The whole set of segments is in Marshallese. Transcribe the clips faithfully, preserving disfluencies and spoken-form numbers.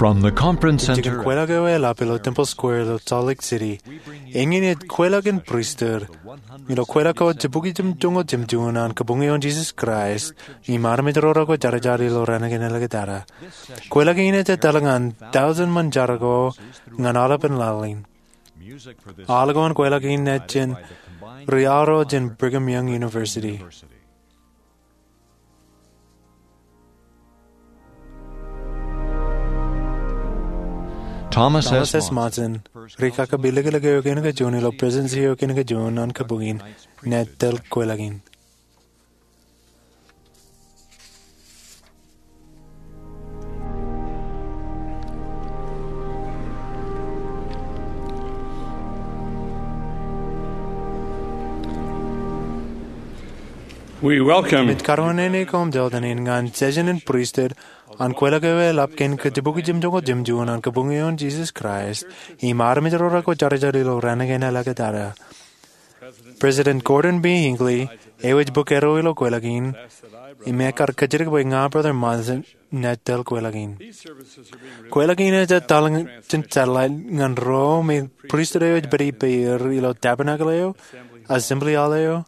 From the conference center, kwelọk eo eḷap ilo Temple Square ilo Salt Lake City, eñin ej kwelọk in pristut ilo kwelọk ko jibukwi jimjuonñoul jimjuon an Kabuñ eo an Jesus Christ im armej ro rekwōjarjar ilo raan kein āliktata. Kwelọk in ej etal ñan tọujin ṃōn jar ko ñan aolepān laḷ in. Aḷ ko an kwelọk in ej jān ri-aorro jān Brigham Young University. Thomas S. Monson, ri-kakabilōklōk eo kein kajuon ilo Presidency eo kein kajuon an Kabuñ in, enaaj tōl kwelọk in. We welcome. Im ij karuwainene koṃ jọtenin ñan session in pristut an kwelọk eo eḷap kein kajibukwi jimjuonñoul jimjuon an Kabuñ eo an Jesus Christ im armej ro rekwōjarjar ilo raan kein āliktata. President Gordon B. Hinckley, eo ej bōk erro ilo kwelọk in, im ekar kōjatdikdik bwe ña Brother Monson enaaj tōl kwelọk in. Kwelọk in ej etal jān satellite ñan ro me pristut eo ej pād ippāer ilo Tabernacle eo, Assembly Hall eo,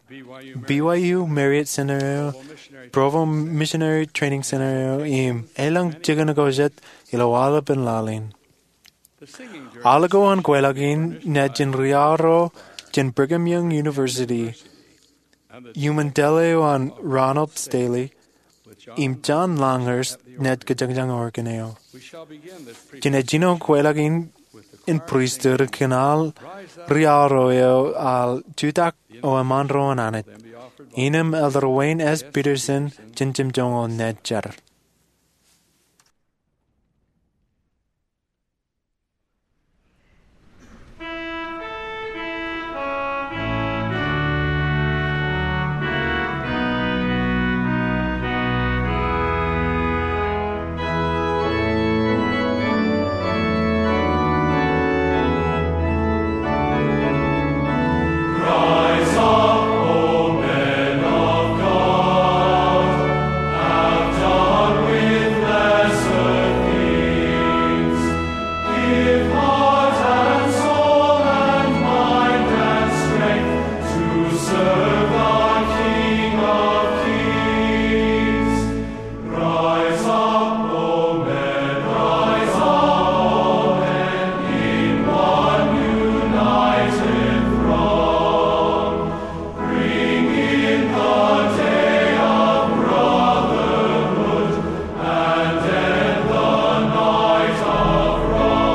B Y U Marriott Center eo, Provo Missionary Training Center eo, im elōñ jikin ko jet ilo aolepān laḷ in. Aḷ ko an kwelọk in enaaj jān ri-aorro jān Brigham Young University, iuṃwin tōl eo an Ronald Stanley, im John Longhurst enaaj kōjañjañ organ eo. Jen ejino kwelọk in in pristut kōn aḷ ri-aorro eo aḷ jutak eo eṃṃan ro an Anij. Innām Elder Wayne S. Petersen jān jimjuonñoul enaaj jar. Give heart and soul and mind and strength to serve the King of Kings. Rise up, O men, rise up, O men, in one united throng. Bring in the day of brotherhood and end the night of wrong.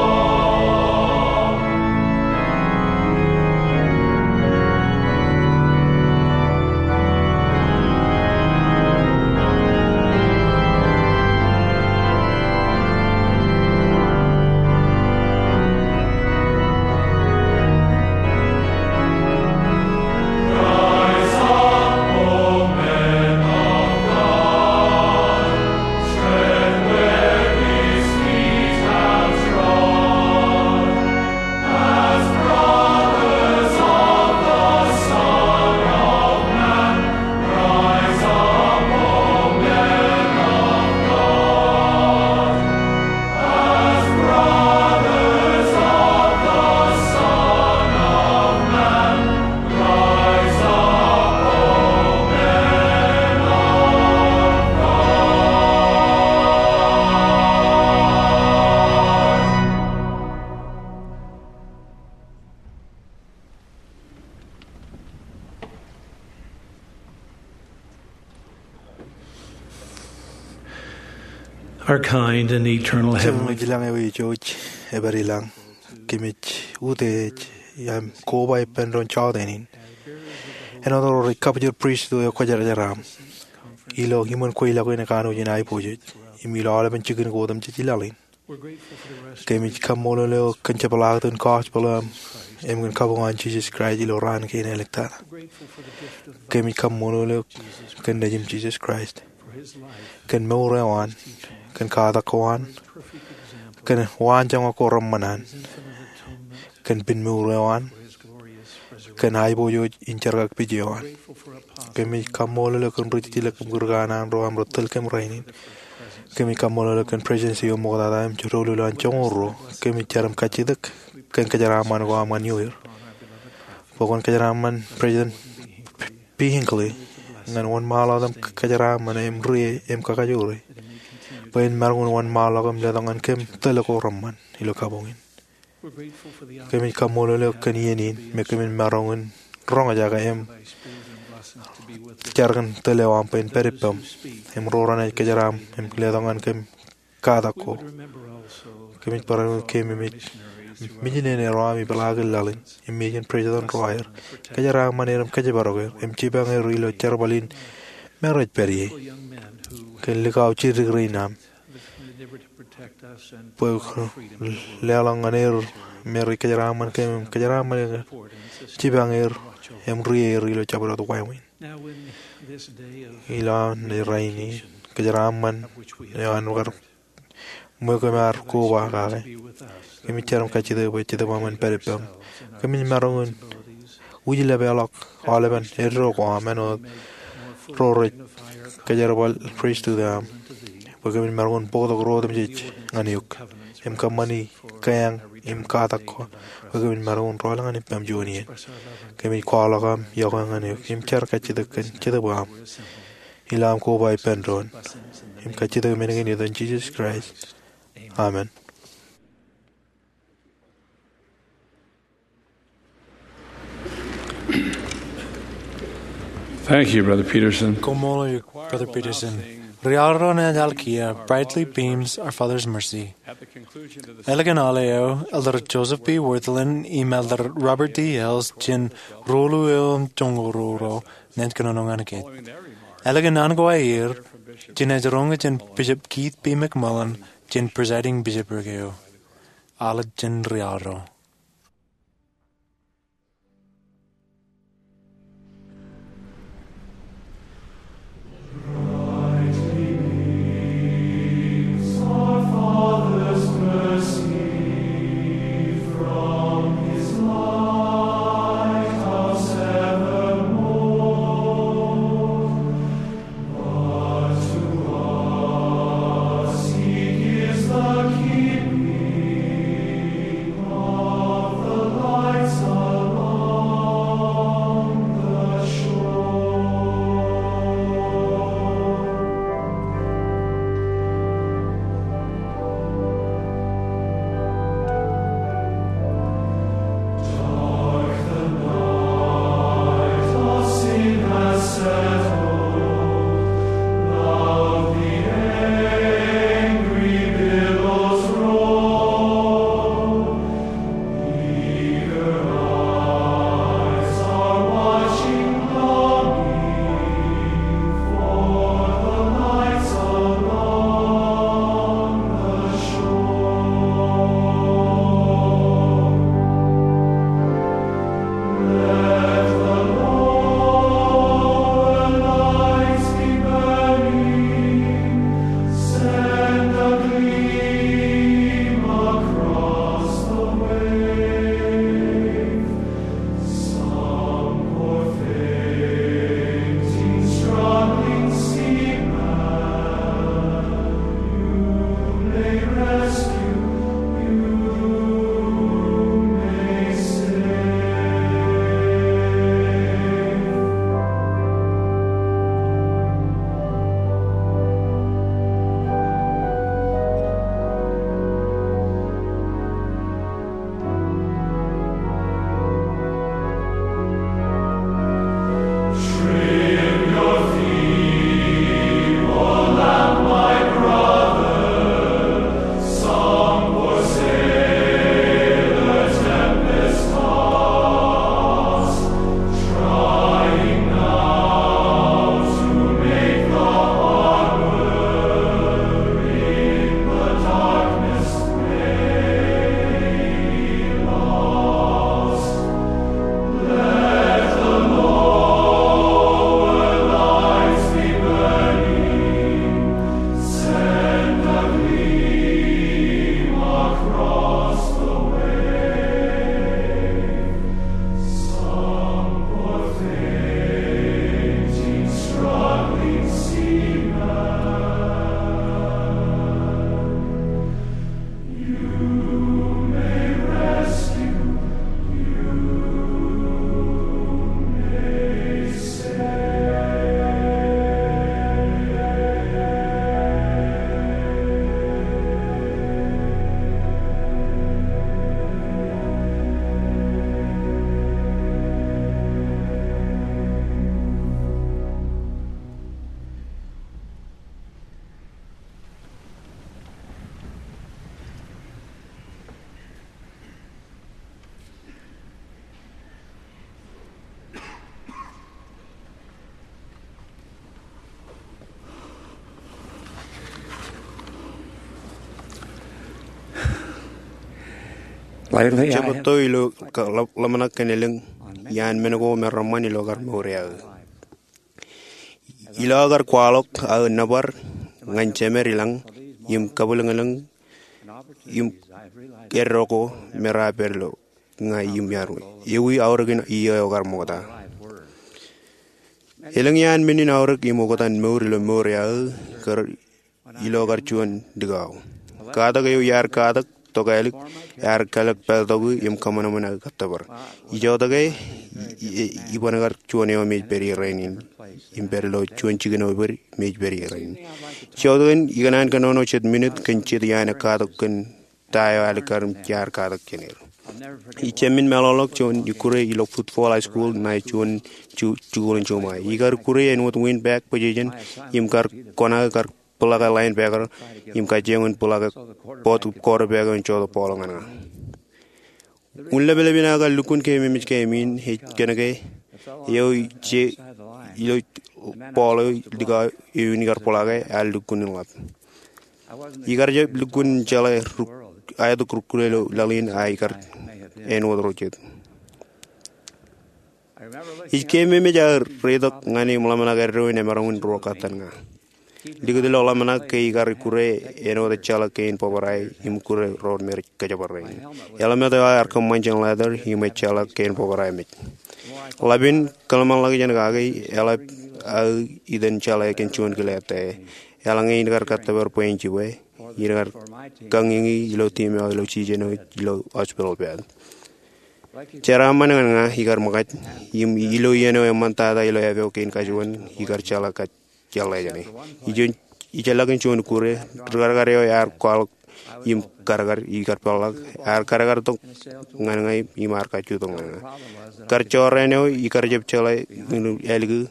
Our kind and eternal Heavenly Jemem ilañ eo ijooj, ej pād ilañ. Kōmij utiej im koba ippān doon jọteen in āinwōt ro rej kabwij pristut eo kwōjarjar aṃ ilo iṃōn kweilọk in kanooj in aiboojoj im ilo aolepān jikin ko otemjej laḷ in. Kōmij kaṃṃoolol eok kōn jepḷaaktok in gospel eo aṃ im kōn kabuñ an Jesus Christ ilo raan kein āliktata. Kōmij kaṃṃoolol eok kōn Nejiṃ Jesus Christ, kōn mour eo an, kōn katak ko an, kōn waanjoñak ko reṃṃan an, kōn pen mour eo an, kōn aiboojoj in jerkakpeje eo an. Kōmij kaṃṃoolol eok kōn ri-tijlōk im kūr kanaan ro aṃ rej tōl kōm rainin. Kōmij kaṃṃoolol eok kōn Presidency eo ṃoktata im jodolo ilowaan joñoul ruo. Kōmij jar im kajjitōk kōn kōjeraaṃṃan ko aṃ ñan ioer. Bwe kwōn kōjeraaṃṃan President P. Hinckley ñan wōnṃaanḷọk im kōjeraaṃṃan im ri-e im kakajoor e, bwe en maroñ in wōnṃaanḷọk im letok ñan kōm tōl ko reṃṃan ilo kabuñ in. Kōmij kaṃṃoolol eok kōn iien in me kōmin maroñ in roñjake im jar kōn tōl eo aṃ bwe en pād ippaṃ im ro renaaj kōjeraaṃ im letok ñan kōm katak ko. Kōmij barāinwōt kōm im ej mijin eo ro ami peḷaakin laḷ in im ej President ro aer, kōjeraaṃṃan er im kōjparok er im jipañ er ilo jerbal in me rej pād ie kōn likao jidik rein aṃ, bwe leḷọk ñan er me rej kōjeraaṃṃan kōm im kōjeraaṃṃan er, jipañ er im ri-e er ilo jabdewōt wāween. Ilo aṃ naaj rainin kōjeraaṃṃan eo an kar ṃweo kōm ar koba kake, kōmij jar im kajjitōk bwe Jetōb aṃ en pād ippaṃ. Kōmij maroñ in wūjlepḷọk aolepen eddo ko aṃ āinwōt ro rej kōjerbal pristut eo aṃ, bwe kōmin maroñ in bōktok ro otemjej ñan eok im kōṃṃani kōjeañ im katak ko, bwe kōmin maroñ in rọọl ñan ippaṃ juon iien. Kōmij kwaḷọk aṃ iọkwe ñan eok im jar kajjitōk kōn Jetōb aṃ. Ilo aṃ koba ippān doon im kajjitōk men kein ilo etan Jisōs Kraist. Amen. Thank you, Brother Peterson. Koṃṃool eok, Brother Peterson. Ri-aorro naaj al kiiō, Brightly beams our Father's mercy. Ālikin aolep eo, Elder Joseph B. Wirthlin im Elder Robert D. Hales jān ruo eo joñoul ruo ro naaj kōnono ñan kōj. Ālikin an ko aer, jenaaj roñ jān Bishop Keith B. McMullin, jān Presiding Bishopric eo. Al jān ri-aorro. Im jebōtto ilo kar ḷōmṇak kōn elōñ iaan men ko me reṃṃan ilo kar mour e aō. Ilo aō kar kwaḷọk aō nōbar ñan jemed ilañ im kabwilōñlōñ im eddo ko me rej pād ilo ña im iaar, ewi aorōkin iiō eo kar ṃokta. Elōñ iaan men in aorōk im oktan mour ilo mour e aō kar ilo kar juon likao. Katak eo iar katak tokālik ear kalōk pād tok im kōṃanṃan aō kōttōpar. Ijotake, i, i, iban kar juon eo me ej pād ie rainin im pād ilo juon jikin eo me ej pād ie rainin. Ijotake, ikōṇaan kōnono jet minit kōn jet iaan katak kōn ta eo alikkar im iar katak jān er. Ij jab men meḷọkḷọk juon ikkure ilo Football High School ṇae juon ju-, jukuḷ in juṃae. Ikar ikkure āinwōt windbag position im kar kōṇaan kar bōḷaak linebacker im kajjioñ in bōḷaak bōt quarterback eo in jotok ball ñan ña. Unin leplepen aō kar lukkuun keememej game in ej kōnke eo ije ilo ball eo likao eo in ikar bōḷaake ear lukkuun in ḷap. Ikar jab lukkuun jeḷā ruk-, aetok rukkure ilo laḷ in a ikar āinwōt ro jet. Ij keememej aō reitok ñan e im ḷōmṇak eddo in emaroñ in ruo kōttan ña. Likūt ilo ḷōmṇak ke ikar ikkure āinwōt ejjeḷọk kein bōbrae im ikkure ro me rej kōjparok in. Eḷap eo ear kōṃṃan jān leather im ejjeḷọk kein bōbrae mej. Ḷap in kōḷmānḷọkjeṇ kake, eḷap aō itan jeḷā kōn juon kile ettā. Eḷaññe in kar kōttōpar bwe in jibwe, in kar kañiñi ilo team eo ilo season eo ilo hospital bed. Jeraaṃṃan ñan ña ikar ṃōkaj, im ilo iien eo eṃṃantata ilo epeo kein kajuon, ikar jeḷā kōj jeḷā jāne. Ij, ijjeḷọkin juon ikkure, rikarkar eo ear kwaḷọk im karkar, ikar peḷḷọk, ear karkar tok ñan ña im ear kajju tok ñan ña. Kar jorrāān eo ikar jab jeḷā in ālikin.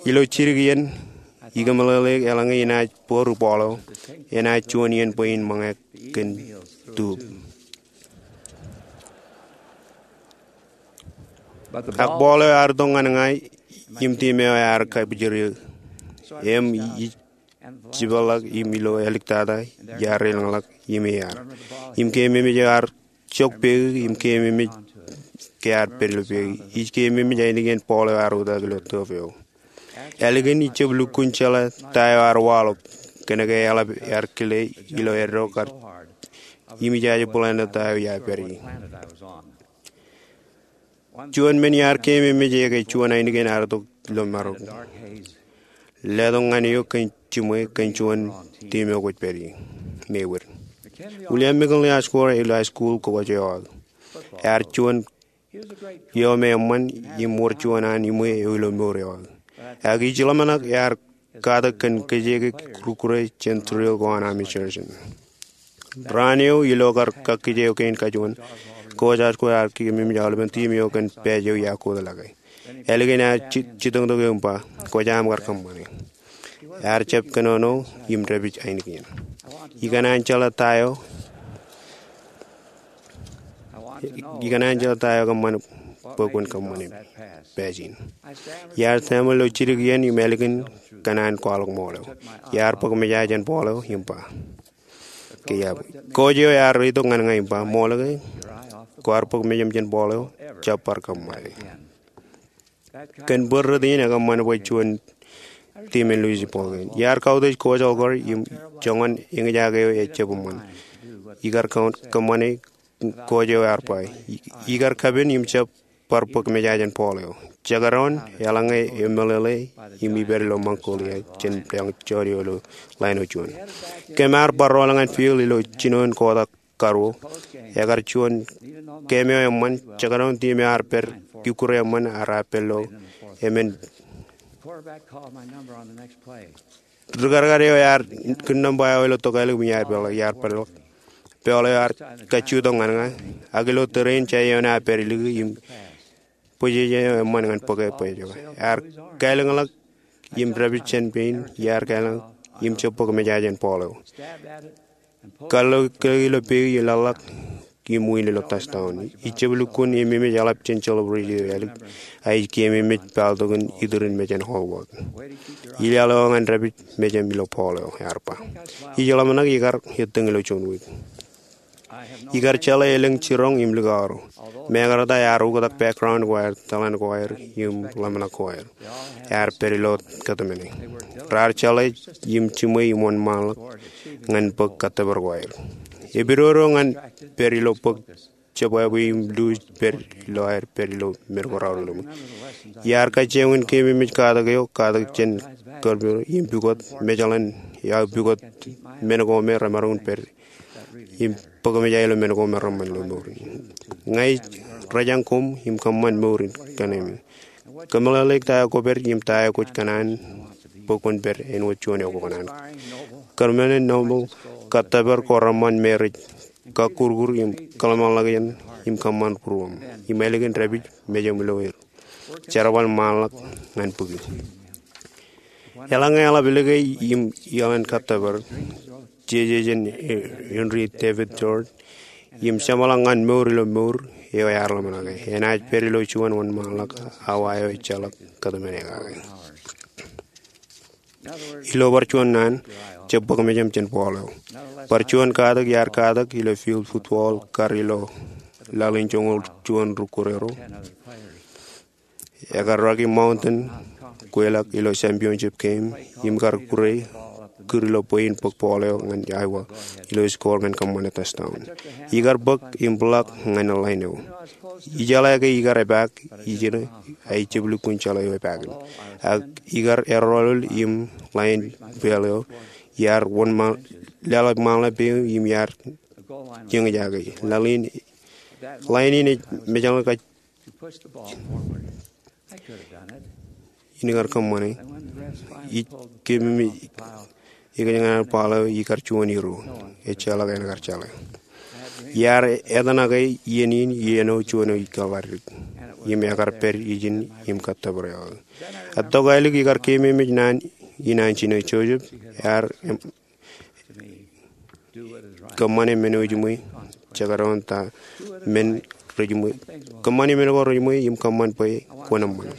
Ilo jidik iien, ikōmeḷeḷe eḷaññe inaaj bōru ball eo, enaaj juon iien bwe in ṃōñā kōn tube. Ak ball eo ear tok ñan ña im team eo ear kabwijeri. Im ij jipeḷḷọk im ilo āliktata iar elōñḷọk im ear. Im keememej eo ear jok peiū im keememej ke ear pād ilo peiū. Ij keememej ainikien ball eo ear utaak ilo tube eo. Ālikin ij jab lukkuun jeḷā ta eo ear waḷọk kōnke eḷap ear kile ilo eddo kar im ijaje bōḷāān ta eo iar pād ie. Juon men iar keememej e ke juon ainikien ear tok ilo marok. Letok ñan eok kōn jiṃwe kōn juon team eo kwōj pād ie. Mewōr. William McKinley Asghar ilo high school kōj eo aō. Ear juon eo me eṃṃan im wōr juon an iṃwe eo ilo mour eo aō. Ak ij ḷōmṇak ear katak kōn kōjeke rukkure jān drill ko an Army Sergeant. Raan eo ilo kar kakkije eo kein kajuon, Coach Asghar ear keememej aolepen team eo kōn badge eo iar kōtḷọke. Ālikin ear ji-, jitōñtok eō im ba, kwōjaam kar kōṃṃane. Ear jab kōnono im dāpij ainikien. Ikōṇaan jeḷā ta eo Ikōṇaan jeḷā ta eo kōṃṃan bwe kwōn kōṃṃane badge in. Iar tōmak ilo jidik iien im ālikin kōṇaan kwaḷọk ṃool eo. Iar bōk meja jān ball eo im ba, ke iar, coach eo ear reitok ñan ña im ba, ṃool ke kwaar bōk mejaṃ jān ball eo, jab bar kōṃṃane. Kōn bōd rot in ekōṃṃan bwe juon team in Louisville ball game. Iar kautiej Coach Asghar im joñan eñjake eo ejab eṃṃan. Ikar kō-, kōṃṃane, coach eo ear ba, i-, ikar kapen im jab bar bōk meja jān ball eo. Jekdọọn, eḷaññe eṃōleḷe im ipād ilo Mongolia jān lọñjọọr eo ilo line eo juon. Kōm ar bar rool ñan field ilo jinoin quarter karuo. Ekar juon game eo eṃṃan, jekdọọn team eo ar pād ikkure eṃṃan ear pād ilo emān. Rikarkar eo ear kūr nōṃba eo ilo tokālik im iar peḷḷọk, iar peḷḷọk. Ball eo ear kajju tok ñan ña, ak ilo tōre in jān eo ear pād ilik im bōjjān eo eṃṃan ñan bōke bwe ej juon. Ear kālōñḷọk im dāpij jān pein, iar kālōñḷọk im jab bōk meja jān ball eo. Kar lo kile ilo peiū, ej laḷḷọk im win ilo touchdown. Ij jab lukkuun eṃṃan im eḷap jān celebration eo ālik, a ij keememej pāltok in iturin mejān Hallward. Ilaḷ eo ñan dāpij mejaṃ ilo ball eo, ear ba. Ij ḷōmṇak ikar ettōñ ilo juon wiik. Ikar jeḷā elōñ jiroñ im likao ro. Mekarta ear oktak background ko aer, tōḷan ko aer, im ḷōmṇak ko aer. Ear pād ilo kōtmāne. Raar jeḷā im jiṃwe im wōnṃaanḷọk ñan bōk kōttōpar ko aer. Epidodo ñan pād ilo bōk jebwābwe im luuj pād ilo aer pād ilo men ko raorōk ilo ṃōk. Iar kajjioñ in keememej katak eo, katak jān kōrpū im pukot, mejaḷan, iar pukot men ko me remaroñ in pād im bōk kōmij aer ilo men ko me reṃṃan ilo mour in. Ña ij rōjañ koṃ im kōṃṃan mour in kōn eṃṃan. Kōmeḷeḷeik ta eo kwōpād im ta eo kwōj kōṇaan bwe kwōn pād āinwōt juon eo kwō kōṇaan. Kōrmāne Noble, kōttōpar ko reṃṃan me rej kakkurkur im kōḷmānḷọkjeṇ im kōṃṃan būruōṃ im ālikin dāpij mejaṃ ilo er. Jerbal ṃaanḷọk ñan bōki. Eḷaññe eḷap likao im iaḷan kōttōpar, jeje jān Henry David Thoreau, im jeṃḷọk ñan mour ilo mour eo ear ḷōmṇake, enaaj pād ilo juon wōnṃaanḷọk awa eo ejjeḷọk kōtmāne kake. Ilo bar juon naan, jab bōk mejaṃ jān ball eo. Bar juon katak iar katak ilo field football kar ilo laḷ in joñoul juon rūkūrero. Ekar Rocky Mountain kweilọk ilo championship game im kar kūr e kūr ilo bwe in bōk ball eo ñan Iowa ilo score ñan kōṃṃane touchdown. Ikar bōk im block ñan line eo. Ijeḷā ke ikar epaak ijin, ak ij jab lukkuun jeḷā eo epaak in. Ak ikar erọọlọọl im line ball eo iar wōnṃaanḷọk, leḷọk ṃaanḷọk peiṃ im iar jeñjake. Line in ej mejaḷ kōj in kar kōṃṃane. Ij keememej ikōjkan ball eo ikar juon hero. Ejjeḷọk en kar jeḷā. Iar etōṇake iien in iien eo juon eo ikar bar dik im ekar pād ijin im kōttōpar eo. Etto kālik ikar keememej naan in an jino Joseph ear kōṃṃane men eo ejiṃwe, jekdọọn ta men rejiṃwe. Kōṃṃane men ko rejiṃwe im kōṃṃan bwe kwōn eṃṃan.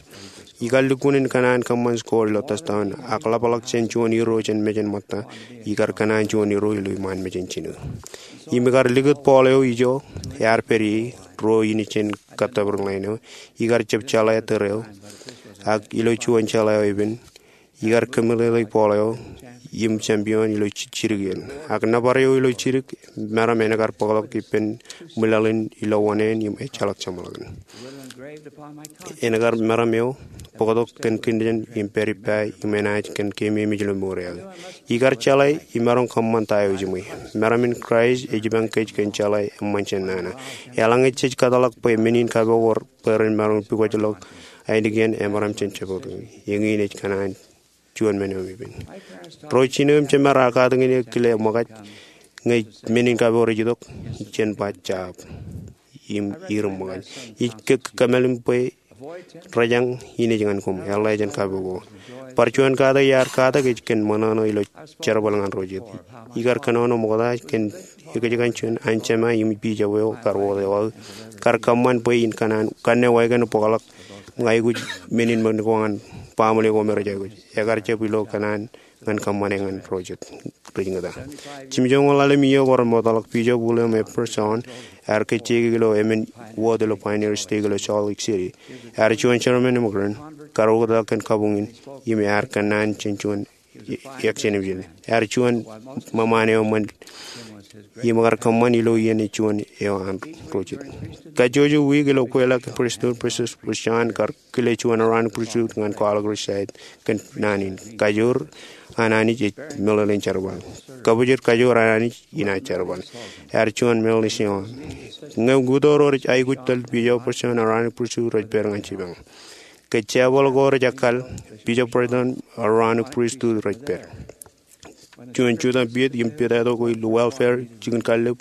Ikar lukkuun in kōṇaan kōṃṃan score ilo touchdown, ak ḷapḷọk jān juon hero jān mejān ṃōtta, ikar kōṇaan juon hero ilo iṃaan mejān jino. Im ikar likūt ball eo ijo, ear pād ie, ro in jān kōttōpar line eo, ikar jab jeḷā tōre eo, ak ilo juon jeḷā eo epen, ikar kōmeḷeḷeik ball eo im champion ilo jidik in. Ak nōbar eo ilo jidik, meram en kar bōktok ippān ṃwilaḷ in ilo wōṇāān im ejjeḷọk jeṃḷọkin. En kar meram eo bōktok kōn kōnnaan im pād ippa im enaaj kōn keememej ilo mour eo. Ikar jeḷā im maroñ kōṃṃan ta eo ejiṃwe. Meram in Kraist ej ipañ kōj kōn jeḷā eṃṃan jān nana. Eḷaññe jej kōtḷọk bwe men in kapo ko bwe ren maroñ pukot ḷọk ainikien emaroñ jān jebōt. Eñin ej kōṇaan juon men eo im ippān. Ro jino im jemād aō katakin eō kile ṃōkaj ñe men in kapo rej itok, jen ba jab im ir ṃōkaj. Ij kōmālim bwe rōjañ in ej ñan koṃ, eḷḷā jān kapo ko. Bar juon katak iar katak ej kōn ṃōṇōṇō ilo jerbal ñan ro jet. Ikar kōnono ṃokta kōn ekōjkan juon anjema im bishop eo kar wōt eo aō kar kōṃṃan bwe in kōṇaan kanne wāween bōkḷọk ñan aikuj men in men ko ñan baaṃle ko me rej aikuj. Ekar jab ilo kōṇaan ñan kōṃṃane ñan ro jet rej ñūta. Jimjuonñoul ḷalem iiō ko remootḷọk, Bishop William F. Person ear kōjjeiki ilo emān wōt ilo Pioneer Stake ilo Salt Lake City. Ear juon chairman eo ṃōkaj kar oktak kōn kabuñ in im ear kōnnaan jān juon action im jān ear juon ṃōṃaan eo ṃōn im kar kōṃṃan ilo iien eo juon eo an ro jet. Kajjojo wiik ilo kweilọk kōn pristut, Bishop Person kar kile juon Aaronic pristut ñan kwaḷọk ri side kōn naan in. Kajoor an Anij ej meḷeḷein jerbal. Kabōjor kajoor an Anij in aō jerbal. Ear juon meḷeḷe eo an. Ñe ukōto ro rej aikuj tōl Bishop Person, Aaronic pristut rej pād ñan jipañ. Ke jebōḷ ko rej ekkal, Bishop Person, Aaronic pristut rej pād. Juon jutak piet im piet eo ko ilo welfare, jikin kallib,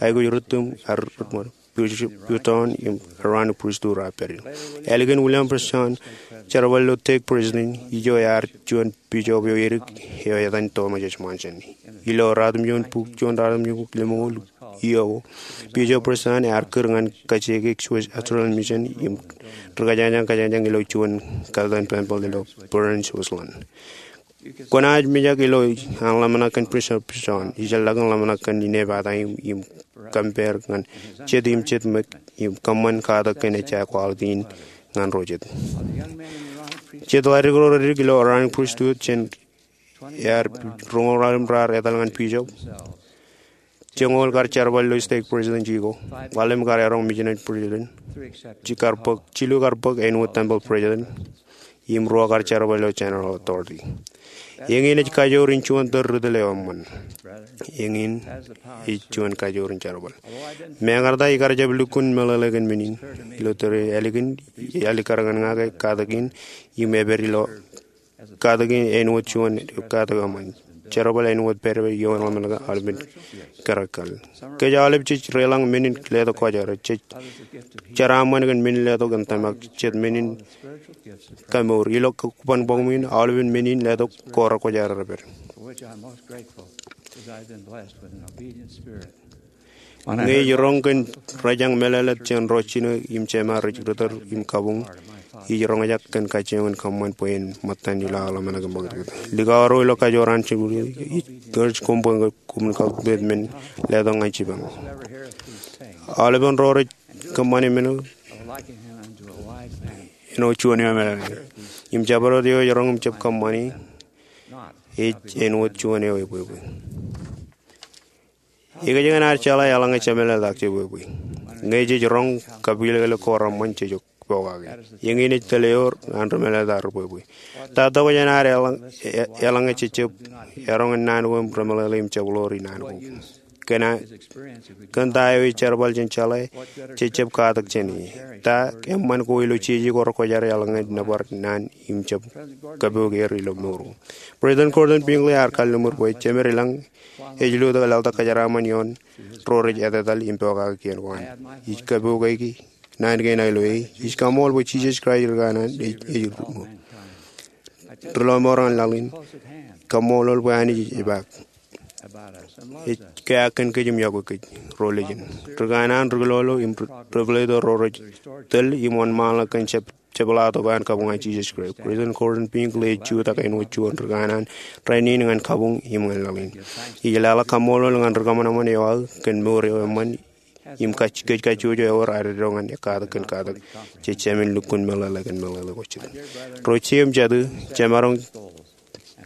aikuj rūttum, ar rūttum, Person im Aaronic pristut raar pād. Ālikin William Person jerbal ilo stake president, ijo ear juon bishop eo edik eo etan Thomas S. Monson. Ilo ratimjuon bok, juon ratimjuon bok lemñoul iiō ko, Bishop Person ear kūr ñan kajjioñ Swiss Australian Mission im rikajjañjaj kajjañjaj ilo juon katakin tempeḷ ilo Bern, Switzerland. Kwōnaaj mijak ilo an ḷōmṇak kōn Bishop Person, ijellọkin ḷōmṇak kōn inepata im, im compare ñan jet im jet ṃōk im kōṃṃan katak kōn ejja quality in ñan ro jet. Jet ḷaddik ro rej dik ilo Aaronic Priesthood jān ear roñoul raar etal ñan bishop. Joñoul kar jerbal ilo stake president eo. Ḷalem kar eroñ missionary president. Jilu kar bōk, jilu kar bōk āinwōt temple president. Im ruo kar jerbal ilo general authority. Eñin ej kajoor in juon tōl ri tōl eo eṃṃan. Eñin ej juon kajoor in jerbal. Mekarta ikar jab lukkuun meḷeḷe kōn men in. Ilo tōre ālikin, ālikkar ñan ña ke katak in im epād ilo katak in āinwōt juon katak eṃṃan. Jerbal āinwōt pād eo ḷōmṇak aolepen kōrā kal. Kōj aolep jej reiḷọk men in letok kwōjarjar. Jej jeraaṃṃan kōn men in letok in tōmak jet men in kamour. Ilo kōban bọk men in aolepen men in letok ko rekwōjarjar pād. Ñe ij roñ kōn rōjañ meḷeḷe jān ro jino im jema rej ri tōl im kabuñ, ij roñjake kōn kajjioñ in kōṃṃan bwe en ṃōttan ilo aō ḷōmṇak im ṃakūtkūt. Likao ro ilo kajoor an jibwilōñ, ij encourage koṃ bwe koṃwin kautiej men letok ñan jipañ. Aolepen ro rej kōṃṃane men eo āinwōt juon eo emeḷeḷe. Im jabdewōt eo ej roñ im jab kōṃṃane ej āinwōt juon eo ebwebwe. Ikōjkan ad jeḷā eḷaññe jemeḷeḷetak jebwebwe. Ñe jej roñ kapilekelek ko reṃṃan jej pokake. Eñin ej tōl eo an ri meḷeḷetak ri bwebwe. Ta tokjān ad eḷaññe, eḷaññe jejjab eroñ in naan ko im remeḷeḷe im jab ḷoori naan ko. Kōn ta eo ej jerbal jān jeḷā, jejjab katak jān e. Ta eṃṃan ko ilo jeje ko rekwōjarjar eḷaññe nōbar naan im jab kapook er ilo mour. President Gordon B. Hinckley ear kalliṃur bwe jemed ilañ ej lo tok laḷtak kōjeraaṃṃan ioon ro rej etetal im pokake kien ko an. Ij kapook āinwōt naan kein aō ilo e. Ij kaṃṃool bwe Jisōs Kraist ri kanaan ej, ej ri lọmọọr ñan laḷ in. Kaṃṃoolol bwe Anij ej epaak. Ej keak kōn kōj im yokwe kōj ro lejen. Ri kanaan, ri kilolo im ri, ri pād ilo ro rej tōl im wōnṃaanḷọk kōn jab jepḷaaktok an kabuñ an Jisōs Kraist. President Gordon B. Hinckley ej jutak āinwōt juon ri kanaan rainin ñan kabuñ im ñan laḷ in. Ij leḷọk kaṃṃoolol ñan ri kōṃanṃan eo aō kōn mour eo eṃṃan im kōj kajjojo ewōr ad itok ñan katak kōn katak. Jej jāmin lukkuun meḷeḷe kōn meḷeḷe ko jet. Ro jet im jatū, jemaroñ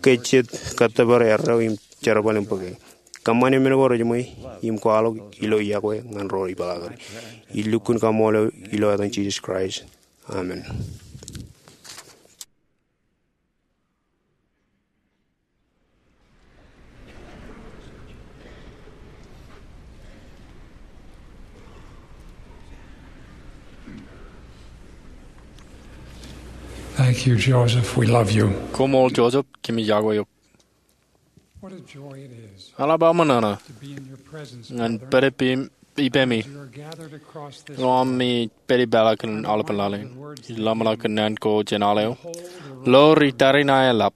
ke jet kōttōpar erreo im jerbal im bōke. Kōṃṃane men ko rejiṃwe im kwaḷọk ilo yokwe ñan ro ipeḷaakere. Ij lukkuun kaṃṃoolol eo ilo etan Jisōs Kraist. Amen. Thank you, Joseph. We love you. Koṃṃool Joseph, kōmij yokwe eok. Eḷap aō ṃōṇōṇō ñan pād ippemi ilo ami pād ipeḷaakin aolepen laḷ in. Ij ḷōmṇak kōn naan ko jān aḷ eo. Lo, ri tariṇae eḷap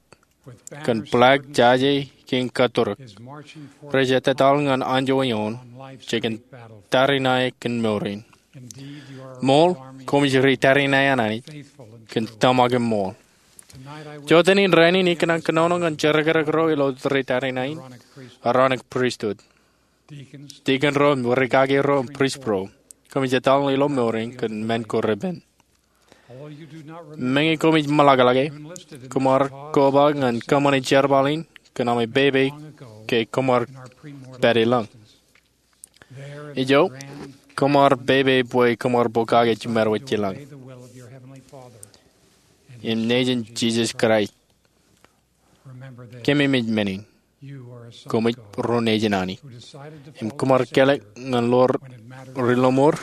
kōn bōlaak, jaje, kein kōtturuk rej etetal ñan anjọ eoon je kōn tariṇae kōn mour in. Ṃool, koṃij ri tariṇae an Anij kōn tōmak im ṃool. Jota in rainin ikōṇaan kōnono ñan jerkakrak ro ilo ri tariṇae in Aaronic Priesthood. Dikon ro, rikaki ro, priest ro. Koṃij etal ilo mour in kōn men ko repen. Meñe koṃij ṃōḷaklake, koṃ ar koba ñan kōṃṃane jerbal in kōn ami pepe ke koṃ ar pād ilañ. Ijo, koṃ ar pepe bwe koṃ ar pokake jiṃadwōj ilañ. Im nejin Jisōs Kraist, kōmij men in. Koṃij ro nejin Anij. Im koṃ ar kelọk ñan ḷoor ri lọmọọr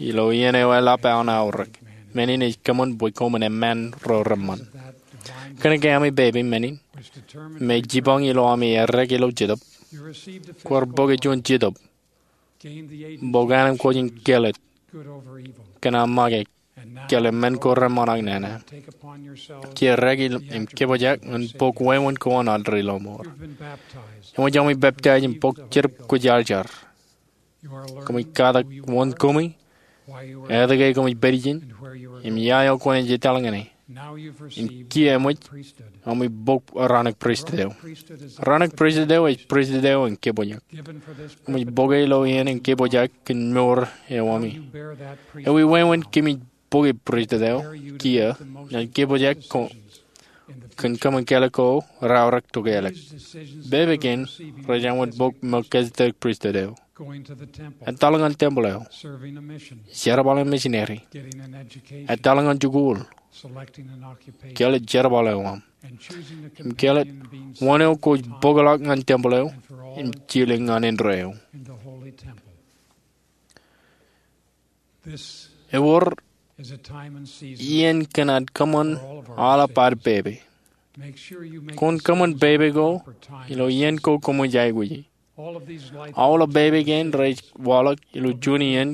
ilo iien eo eḷap aō aorōk. Men in ej kōṃṃan bwe koṃwin eṃṃan ro reṃṃan. Kōnke ami pepe men in, im ej jipañ ilo ami errā ilo Jetōb, kwaar bōke juon Jetōb bōk ānōm kwōj in kelōt kōn aō make kōn men ko reṃṃan ak nana. Jej errā im kōpojak ñan bōk wāween ko an ad ri lọmọọr. Eṃōj ami peptaij im bōk jet kwōjarjar. Koṃij katak wōn koṃi, etke koṃij pād ijin, im ia eo kwōnaaj etal ñan e. Im kiiō eṃōj ami bōk raṇōk pristut eo. Raṇōk pristut eo ej pristut eo in kōpojak. Eṃōj bōke ilo iien in kōpojak kōn mour eo ami. Ewi wāween kōmij bōke pristut eo kiiō ñan kōpojak ko kōn kōṃṃan kālōk ko raorōk tokālik? Bebe kein rej āinwōt bōk Melchizedek pristut eo. Etal ñan tempel eo. Jerbal im misineri. Etal ñan jikuuḷ. Kāālōt jerbal eo aṃ. Im kāālōt wōn eo kwōj bōkḷọk ñan tempel eo im jilōk ñan indeeo. Ewōr iien kōn ad kōṃṃan aolep ad pepe. Kwōn kōṃṃan pepe ko ilo iien ko koṃij aikuji. Aolep pepe kein rej waḷọk ilo juon iien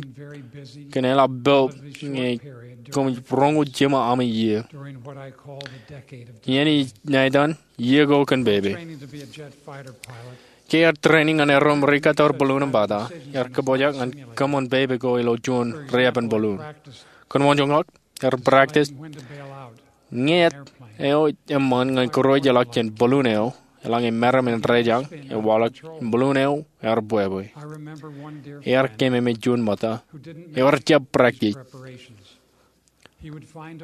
kōn eḷap poob ñe koṃij roñoul jiṃa ami iiō. Iien ij ṇa etan iiō ko kōn pepe. Ke iar training ñan erom rikattoor balloon im bata, iar kōpojak ñan kōṃṃan pepe ko ilo juon riepen balloon. Kōn wōnjoñak, iar practice ñeet eo eṃṃan ñan kūrwejeḷọk jān balloon eo eḷaññe meram in rejañ ewaḷọk im balloon eo ear bwebwe. Iar kememej juon ṃōtta eo ear jab practice.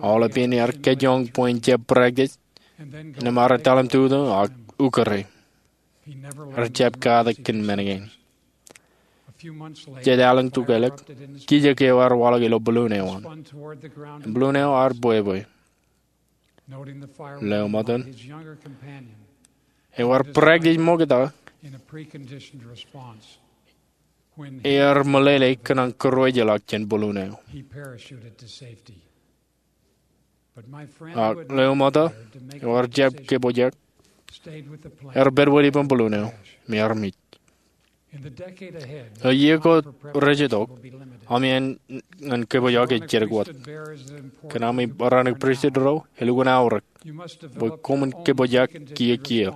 Aolep iien ear kōjjoñ bwe en jab practice, innām ear etal im tutu ak ukōre. Ear jab katak kōn men kein. Jet alen tokālik, kijōk eo ear waḷọk ilo balloon eo an. Im balloon eo ear bwebwe. Lewōj ṃōttan, eo ear practice ṃokta, ear meḷeḷe kōn an kūrwejeḷọk jān balloon eo. Ak lewōj ṃōtta, eo ear jab kōpojak, ear pād wōt ippān balloon eo im ear mej. Ilo iiō ko rej itok, ami āne ñan kōpojak ej jidik wōt. Kōn ami raṇōk pristut ro, elukkuun aorōk bwe koṃwin kōpojak kiiō kiiō.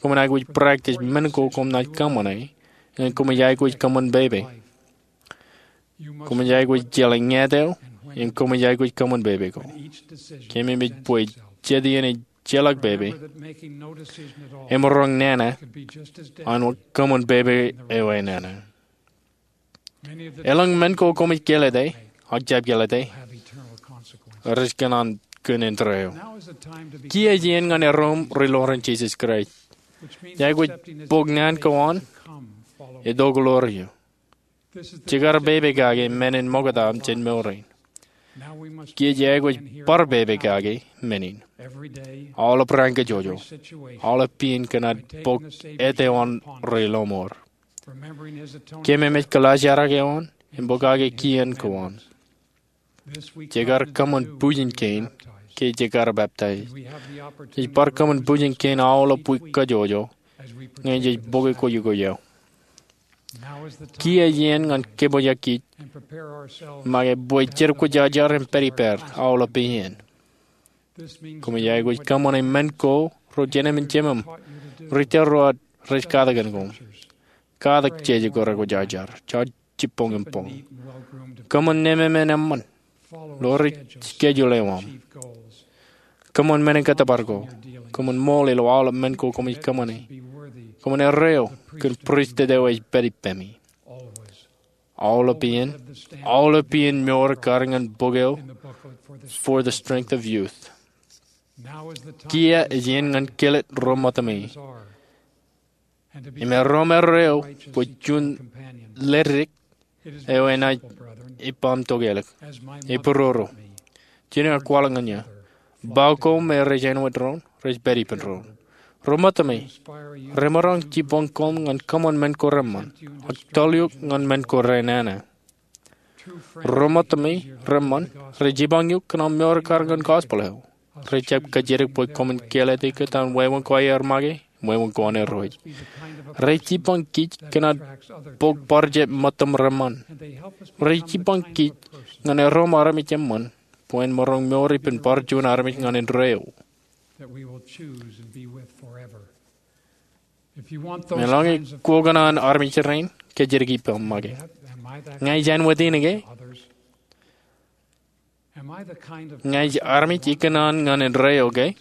Koṃwin aikuj practice men ko koṃ naaj kōṃṃane ñe koṃij aikuj kōṃṃan pepe. Koṃij aikuj jeḷā ñeet eo im koṃij aikuj kōṃṃan pepe ko. Kememej bwe jet iien ej jeḷā pepe, emaroñ nana āinwōt kōṃṃan pepe eo enana. Elōñ men ko koṃij kālōte ak jab kālōte rej kōṇaan kōn indeeo. Kiiō ej iien ñan erom ri-loor in Jisōs Kraist. Ij aikuj bōk naan ko an, itok ḷoor eō. Jekar pepe kake men in ṃokta jān mour in. Kiiō ej aikuj bar pepe kake men in. Aolep raan kajjojo, aolep peiin kōn ad bōk āt eo an ri-lọmọọr. Kememej kōḷaajrak eo an im pokake kien ko an. Jekar kōṃṃan bujen kein ke jekar peptaij. Ej bar kōṃṃan bujen kein aolep wiik kajjojo ñe jej bōke kwōjkwōj eo. Kiiō ej iien ñan kōpojak kij make bwe jen kwōjarjar im pād ippād aolep iien. Koṃij aikuj kōṃṃane men ko ro jemem in jemem rej itok ro aō rej katakin koṃ. Katak jeje ko rekwōjarjar. Jab jibboñ im boñ. Kōṃṃan nemāmein eṃṃan. Ḷoor ri schedule eo aṃ. Kōṃṃan men in kōttōpar ko. Kōṃṃan ṃool ilo aolep men ko koṃij kōṃṃane. Kōṃṃan erreo kōn pristut eo ej pād ippemi. Aolep iien, aolep iien mour kar ñan bok eo For the Strength of Youth. Kiiō ej iien ñan kāālōt ro ṃōttami im erom erreo bwe juon ledik eo enaaj ippaṃ tokālik. Epororo. Jen kwaḷọk ñan eō. Ba ko me rej āinwōt doon, rej pād ippān doon. Ro ṃōttami, remaroñ jibboñ koṃ ñan kōṃṃan men ko reṃṃan, ak tōl eok ñan men ko renana. Ro ṃōttami reṃṃan rej jipañ eok kōn aṃ mour kar ñan gospel eo. Rej jab kōjatdikdik bwe koṃwin kāālōt eok kōtaan wāween ko aer make im wāween ko aer rej. Rej jibboñ kij kōn ad bōk bar jab ṃōttam reṃṃan. Rej jibboñ kij ñan erom armej eṃṃan bwe en maroñ mour ippān bar juon armej ñan indeeo. Meḷọñe kwō kōṇaan armej rein kōjatdikdik ippaṃ make, ña ij āinwōt in ke? Ña ij armej ikōṇaan ñan indeeo ke?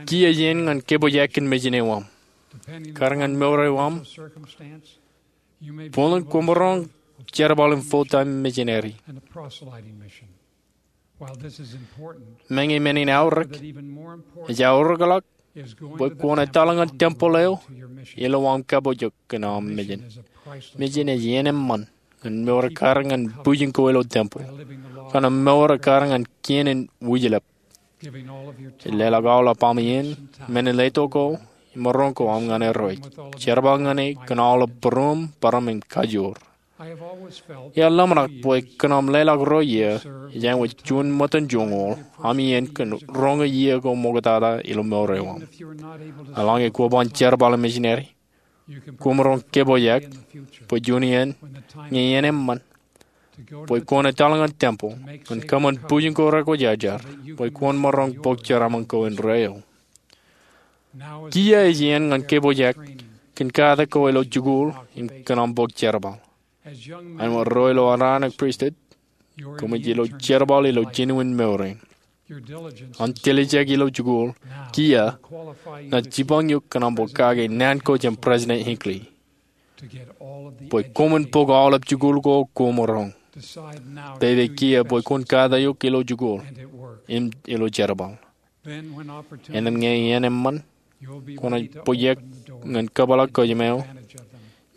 Kiiō iien ñan kōpooj kōn mejān eo aṃ. Kar ñan mour eo aṃ, bōlen kwōmaroñ jerbal in full-time missionary. Meñe men in aorōk, ej aorōkḷọk bwe kwōn etal ñan tempeḷ eo ilo aṃ kapooj kōn aṃ mejān. Mejān ej iien eṃṃan ñan mour kar ñan bwijin ko ilo tempeḷ, kōn aṃ mour kar ñan kien in wijlep. Ej leḷọk aolep aṃ iien, men in letok ko, im maroñ ko aṃ ñan Irooj. Jerbal ñan e kōn aolep būruōṃ, bōrōṃ im kajoor. Iar ḷōmṇak bwe kōn aṃ leḷọk ro iiō, ej āinwōt juon ṃōttan joñoul, aṃ iien kōn roñoul iiō ko ṃoktata ilo mour eo aṃ. Eḷaññe kwō ban jerbal im missionary, kwōmaroñ kōpooj bwe juon iien, ñe iien eṃṃan, bwe kwōn etal ñan tempeḷ ñan kōṃṃan bwijin ko rekwōjarjar, bwe kwōn maroñ bōk jeraaṃṃan ko indeeo. Kiiō ej iien ñan kōpooj kōn katak ko ilo jikuuḷ im kōn aṃ bōk jerbal. Āinwōt ro ilo Aaronic Pristut, koṃij ilo jerbal ilo jinen mour in. Aṃ tiljek ilo jikuuḷ kiiō ej jipañ eok kōn aṃ bōk kake naan ko jān President Hinckley, bwe koṃwin bōk aolep jikuuḷ ko kwōmaroñ. Pepe kiiō bwe kwōn katak eok ilo jikuuḷ im ilo jerbal. Innām ñe iien eṃṃan, kwōnaaj pojak ñan kōpeḷḷọk kōjām eo,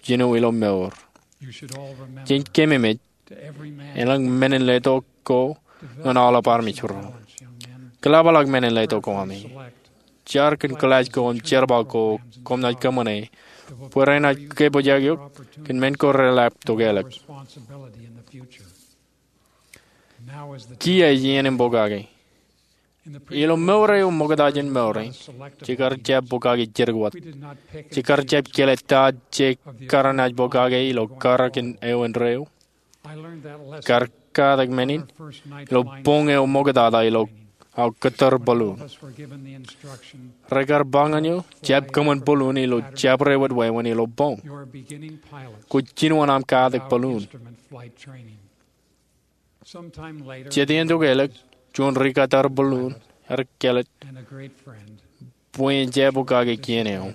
jino ilo mour. Jen kememej, elōñ men in letok ko ñan aolep armej ro. Kōḷapḷọk men in letok ko ami. Jar kōn kōḷaaj ko im jerbal ko koṃ naaj kōṃṃane bwe renaaj kōpooj eok kōn men ko relap tokelōk. Kiiō ej iien in bōk kake. Ilo mour eo ṃokta jān mour in, jekar jab bōk kake jidik wōt. Jekar jab kile ta je kar naaj bōk kake ilo karōk eo indeeo. Kar katak men in ilo boñ eo ṃoktata ilo aō kōttar balloon. Rekar ba ñan eō, jab kōṃṃan balloon ilo jabdewōt wāween ilo boñ. Kwōj jinoin aṃ katak balloon. Jet iien tokelōk, juon ri-kōttar balloon ear kelōt bwe en jab bōk kake kien eo.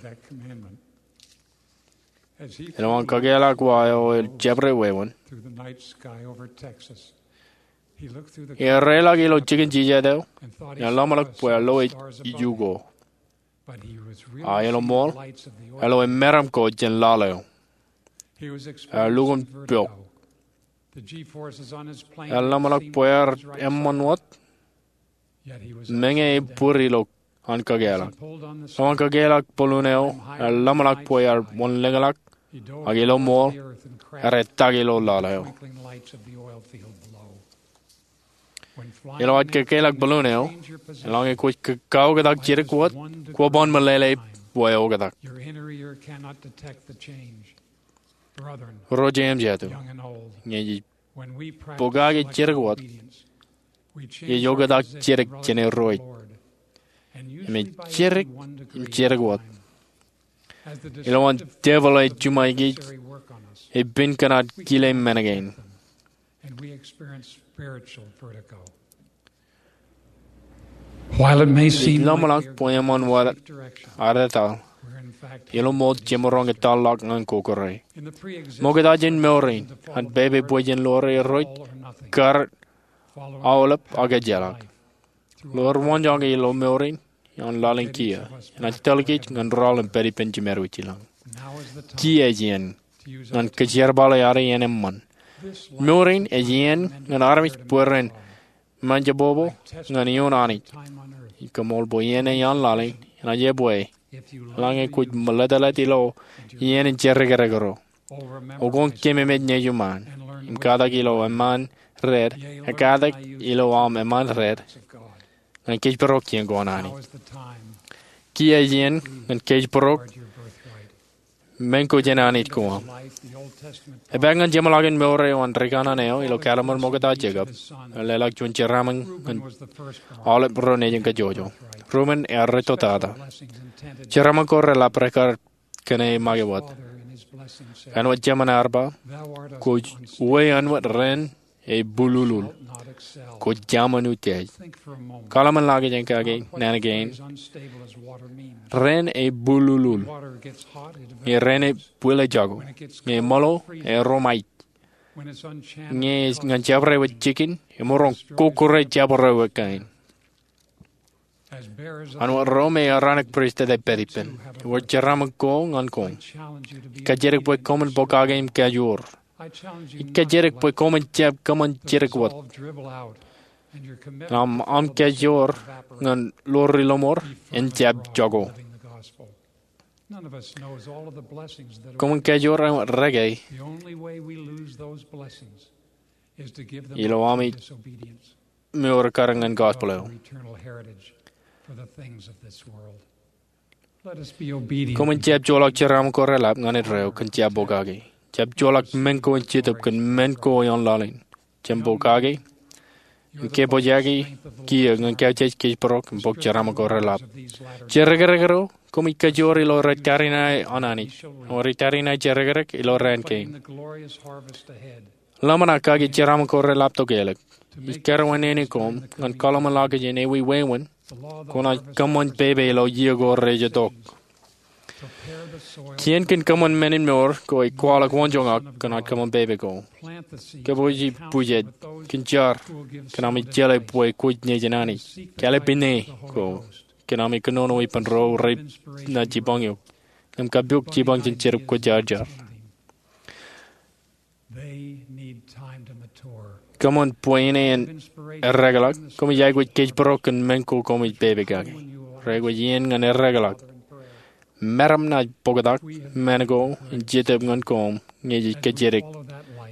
Ilo an kakeḷọk wa eo ilo jabdewōt wāween, ear reḷọk ilo jikin jijet eo im ear ḷōmṇak bwe ear loe iju ko. A ilo ṃool, ear loe meram ko jān laḷ eo. Ear lukkuun pok. Ear ḷōmṇak bwe ear eṃṃan wōt, meñe ebōd ilo an kakeḷọk. Ilo an kakeḷọk balloon eo, ear ḷōmṇak bwe ear wōnḷōñḷọk, ak ilo ṃool, ear etak ilo laḷ eo. Ilo aō kakeḷọk balloon eo, eḷaññe kwōj kaoktak jidik wōt, kwō ban meḷeḷe bwe eoktak. Ro jeiū im jatū, ñe jej bōk kake jidik wōt, jej oktak jidik jān Irooj. Im ej jidik im jidik wōt. Ilo an devil ej juṃae kōj, epen kōn ad kile men kein. While it may seem like ḷōmṇak bwe eṃṃan wōt ad etal, ilo ṃool jemaroñ etal ḷọk ñan kōkōrā. Ṃokta jān mour in, an pepe bwe jen ḷoor Irooj kar aolep ak ejjeḷọk. Ḷoor waanjoñak ilo mour in, ioon laḷ in kiiō, enaaj tōl kōj ñan rọọl im pād ippān Jemedwōj ilañ. Kiiō ej iien ñan kōjerbale ad iien eṃṃan. Mour in ej iien ñan armej bwe ren ṃaanjabōbō ñan iioon Anij. Ij koṃṃool bwe iien eo an laḷ in enaaj ebwe, eḷaññe kwōj meḷeḷe ilo iien in jerkerekrō. Oktak kōn kememej nejiṃaan im katak ilo eṃṃaan red, ak katak ilo aṃ eṃṃaan red, ñan kōjparok iien ko an Anij. Kiiō ej iien ñan kōjparok men ko jān Anij ko aṃ. Epaak ñan jeṃḷọkin mour eo an ri kanaan eo ilo Kallim̧ur Ṃokta Jekob, ear leḷọk juon jeraaṃṃan ñan aolep ro nejin kajjojo. Rumen ear rūtto tata. Jeraaṃṃan ko reḷap rekar kōṇaan make wōt. Āinwōt Jemān ear ba, kwōj uwe āinwōt ren ebululul. Kwōj jaṃōn utiej. Kaḷmenḷọkjeṇ kake naan kein. Ren ebululul. Ñe ren ebwilōjako. Ñe eṃōḷo, erom aij. Ñe ñan jabdewōt jikin, emaroñ kọkkure jabdewōt kain. An wōt ro me Aaronic Pristut ej pād ippān, ewōr jeraṃōk ko ñan koṃ. Ij kajjitōk bwe koṃwin pokake im kajoor. Ij kajjitōk bwe koṃwin jab kōṃṃan jidik wōt. Im aṃ kajoor ñan ḷoor ri lọmọọr en jab jako. Koṃwin kajoor ewōr reke ilo ami mour kar ñan gospel eo. Koṃwin jab joḷọk jeraṃōk ko reḷap ñan indeeo kōn jab pokake. Jab joḷọk men ko in Jetōb kōn men ko ioon laḷ in. Jab pokake im kōpojaki kiiō ñan kautiej kōjparok im bōk jeraṃōk ko reḷap. Jerrekerrekro, koṃij kajoor ilo rej tariṇae an Anij. Ewōr rej tariṇae jerrekerrek ilo raan kein. Ḷōmṇak kake jeraṃōk ko reḷap tokālik. Ij karuwainene koṃ ñan kaḷmenḷọkjeṇ ewi wāween kwōnaaj kōṃṃan pepe ilo iiō ko rej itok. Kien kōn kōṃṃan men in mour ko ej kwaḷọk wōnjoñak kōn aō kōṃṃan pepe ko. Kōpooji pujed kōn jar kōn ami jeḷā bwe kwōj nejin Anij. Kāālōt pād ie ko kōn ami kōnono ippān ro renaaj jipañ eok im kappok jipañ jān Jetōb Kwōjarjar. Kōṃṃan bwe en eddekḷọk. Koṃij aikuj kōjparok kōn men ko koṃij pepe kake. Reaikuj iien ñan eddekḷọk. Meram naaj bōktak men ko in Jetōb ñan koṃ ñe jej kajjitōk.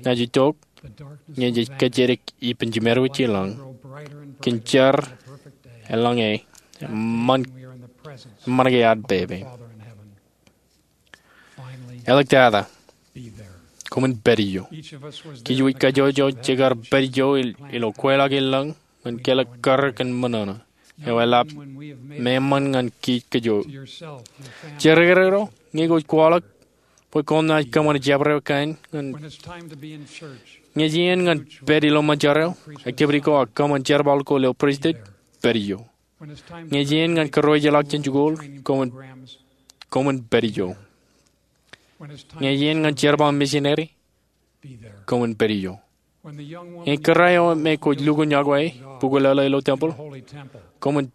Naaj itok ñe jej kajjitōk ippān Jemedwōj ilañ kōn jar eḷaññe eṃṃan ke ad pepe. Āliktata, koṃwin pād ijo. Kōj wōj kajjojo jekar pād ijo ilo kweilọk ilañ ñan kelōk karōk in ṃōṇōṇō. Eo eḷap meṃṃan ñan kōj kōj. Jerrekerrekro, ñe kwōj kwaḷọk bwe koṃ naaj kōṃṃan jabdewōt kain ñe ej iien ñan pād ilo ṃōn jar eo, activity ko ak kōṃṃan jerbal ko ilo pristut, pād ijo. Ñe ej iien ñan kōrrejeḷọk jān jikuuḷ, koṃwin pād ijo. Ñe ej iien ñan jerbal misineri, koṃwin pād ijo. Ñe kōrā eo me kwōj lukkuun iọkwe bukwi lōḷō ilo tempel, koṃwin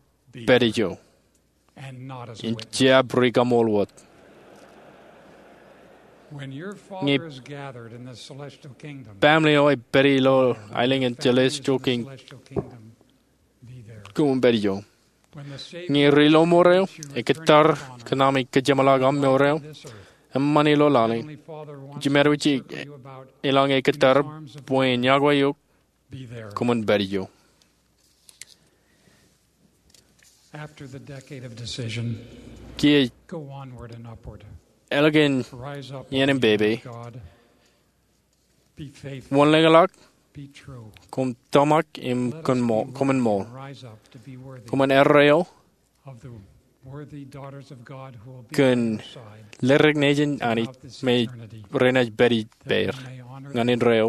pād ijo im jab rikaṃool wōt. Ñe baaṃle eo ej pād ilo aelōñ in celestial kingdom, koṃwin pād ijo. Ñe ri lọmọọr eo ekōttar kōn ami kōjeṃḷọk aṃ mour eo eṃṃan ilo laḷ in, Jemedwōj ilañ ekōttar bwe en iọkwe eok, koṃwin pād ijo. Kiiō ālikin iien in pepe, wōnḷōñḷọk koṃ tōmak im koṃwin ṃool. Koṃwin erreo kōn ledik nejin Anij me renaaj pād ippāer ñan indeeo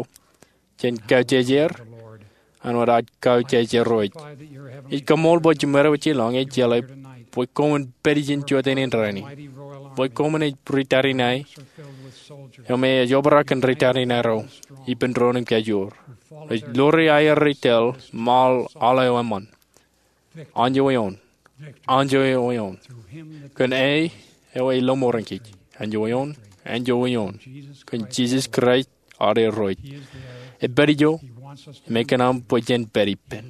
jān kautiej er an wōt aō kautiej Irooj. Ij kaṃool bwe Jemedwōj ilañ ej jeḷā bwe koṃwin pād ijin jota in rainin, bwe koṃwin ej ri tariṇae eo me ej obrak kōn ri tariṇae ro ippān doon im kajoor. Ej ḷoor aer ri tōl im aḷ aḷ eo eṃṃan. Anjọ eoon. Anjọ eoon. Kōn e eo ej lọmọọren kōj. Anjọ eoon. Anjọ eoon. Kōn Jisōs Kraist ad Irooj. Ej pād ijo im ekōṇaan bwe jen pād ippān.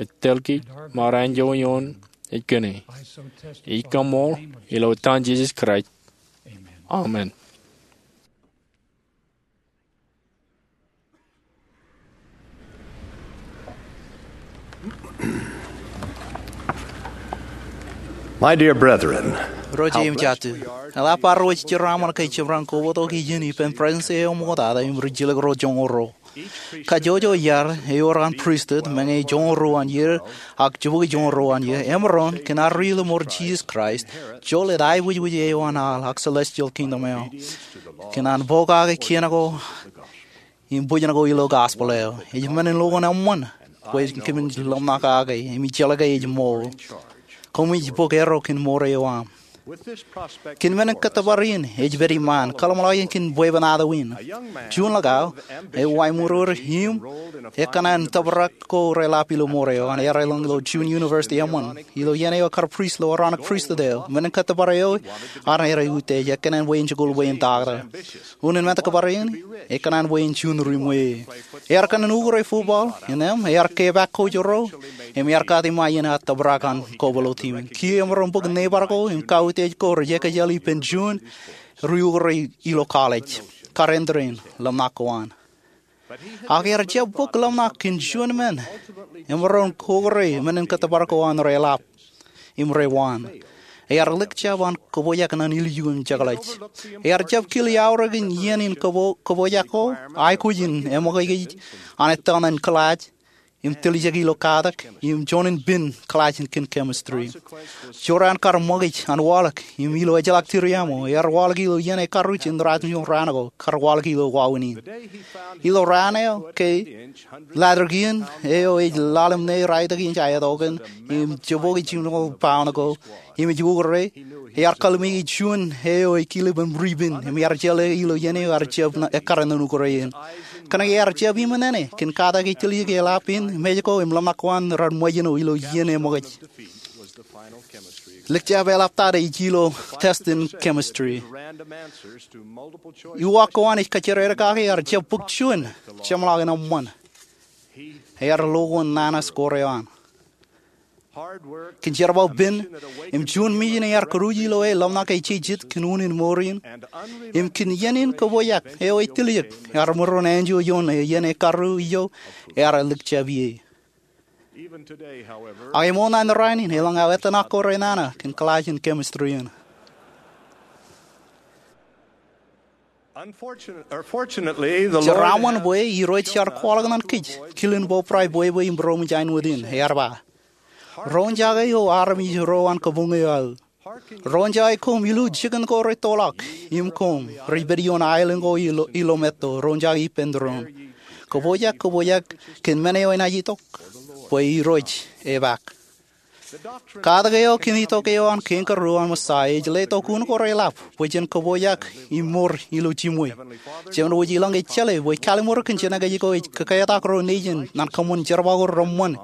Ej tōl kōj im ad anjọ eoon ej kōn e. Ij kaṃool ilo etan Jisōs Kraist. Amen. My dear brethren, ro jeiū im jatū, eḷap bar wōj jeraaṃṃan ke jemaroñ kobatok ijin ippān President eo ṃoktata im rijjilōk ro joñoul ruo. Kajjojo iar ewōr an pristut, meñe joñoul ruo an iiō, ak jibukwi joñoul ruo an iiō, emaroñ kōn ad ri lọmọọr Jisōs Kraist, joḷọk aebwijwij eo an al ak celestial kingdom eo. Kōn an pokake kien ko im bōjṇ ko ilo gospel eo. Ej men in lukkuun eṃṃan bwe kōmin lōmṇak kake im ij jeḷā ke ej ṃool. Koṃij bōk erro kōn mour eo aṃ. Kōn men in kōttōpar in ej pād iṃaan, kōḷmānḷọkjeṇ kōn bwebwenato in. Juon ḷọk aō, eo ej ṃweiur im ekōṇaan tōprak ko reḷap ilo mour eo an, ear elōñ ilo Juon University eṃṃan. Ilo iien eo ekar priest ilo Aaronic Priesthood eo, men in kōttōpar eo an ear utiej, ekōṇaan bwe en jikuuḷ bwe en taktō. Unin men in kōttōpar in, ekōṇaan bwe en juon ri ṃweiū. Ear kōṇaan ukure football, innām ear kepaak coach ro, im ear kate ṃae iien aō tōprak an kobwilōt team in. Kiiō emaroñ bōk neighbor ko im kautiej ko rej ekōjal ippān juon ri ukure ilo college. Kar en tōre in lōmṇak ko an. Ak ear jab bōk lōmṇak kōn juon men emaroñ ukure men in kōttōpar ko an reḷap im rewaan. Ear lik jab an kōpojak ñan ilju im jekḷaj. Ear jab kile aorōk in iien in kōpo-, kōpojak ko, aikuj in eṃōkaj an ettōr ñan class im tiljek ilo katak im juon in pin class in kōn chemistry. Jorrāān kar ṃōkaj an waḷọk im ilo ejjeḷọk tiriaṃo, ear waḷọk ilo iien ekaruj in raan ko, kar waḷọk ilo wāween in. Ilo raan eo ke ladder kein eo ej ḷalem ṇe raelep inch aetok in im jibukwi jimjuon pound ko im ej ukure, ear kallimeke juon eo ej kilip im ripin im ear jeḷā ilo iien eo ear jab ekkar ñan ukure in. Kōnke ear jab iṃōṇōṇō kōn katak ej tiljek eḷap in mej ko im lōmṇak ko an rar ṃōjṇo ilo iien eṃōkaj. Lik jab eḷaptata ej ilo test in chemistry. Uwaak ko an ej kōjjerereik kake ear jab bōk juon jeṃḷọkin eṃṃan. Ear lukkuun nana score eo an. Kōn jerbal pin im juon mission ear kūruj ilo e lōmṇak ej jejjet kōn unin mour in im kōn iien in kōpojak eo ej tiljek, ear ṃōrōṇō āinwōt ioon iien ekaruj ijo ear lik jab ie. Ak ṃool ñan raan in, elōñ aō etan ko renana kōn class in chemistry in. Jeraaṃṃan bwe Irooj ear kwaḷọk ñan kōj kilen bōbrae bwebwe im būroṃōj āinwōt in, ear ba. Roñjake eo armej ro an kabuñ eo aō. Roñjake koṃ ilo jikin ko rettoḷọk im koṃ rej pād ioon aelōñ ko ilo, ilo metto, roñjake ippān tūroon. Kōpojak, kōpojak kōn men eo enaaj itok, bwe Irooj epaak. Katak eo kōn itok eo an kein karuo an Messiah ej letok un ko reḷap bwe jen kōpojak im mour ilo jiṃwe. Jemān wōj ilọk ej jeḷā bwe kallimur kōn jenōkaj ko ej kōketak ro nejin ñan kōṃṃan jerbal ko reṃṃan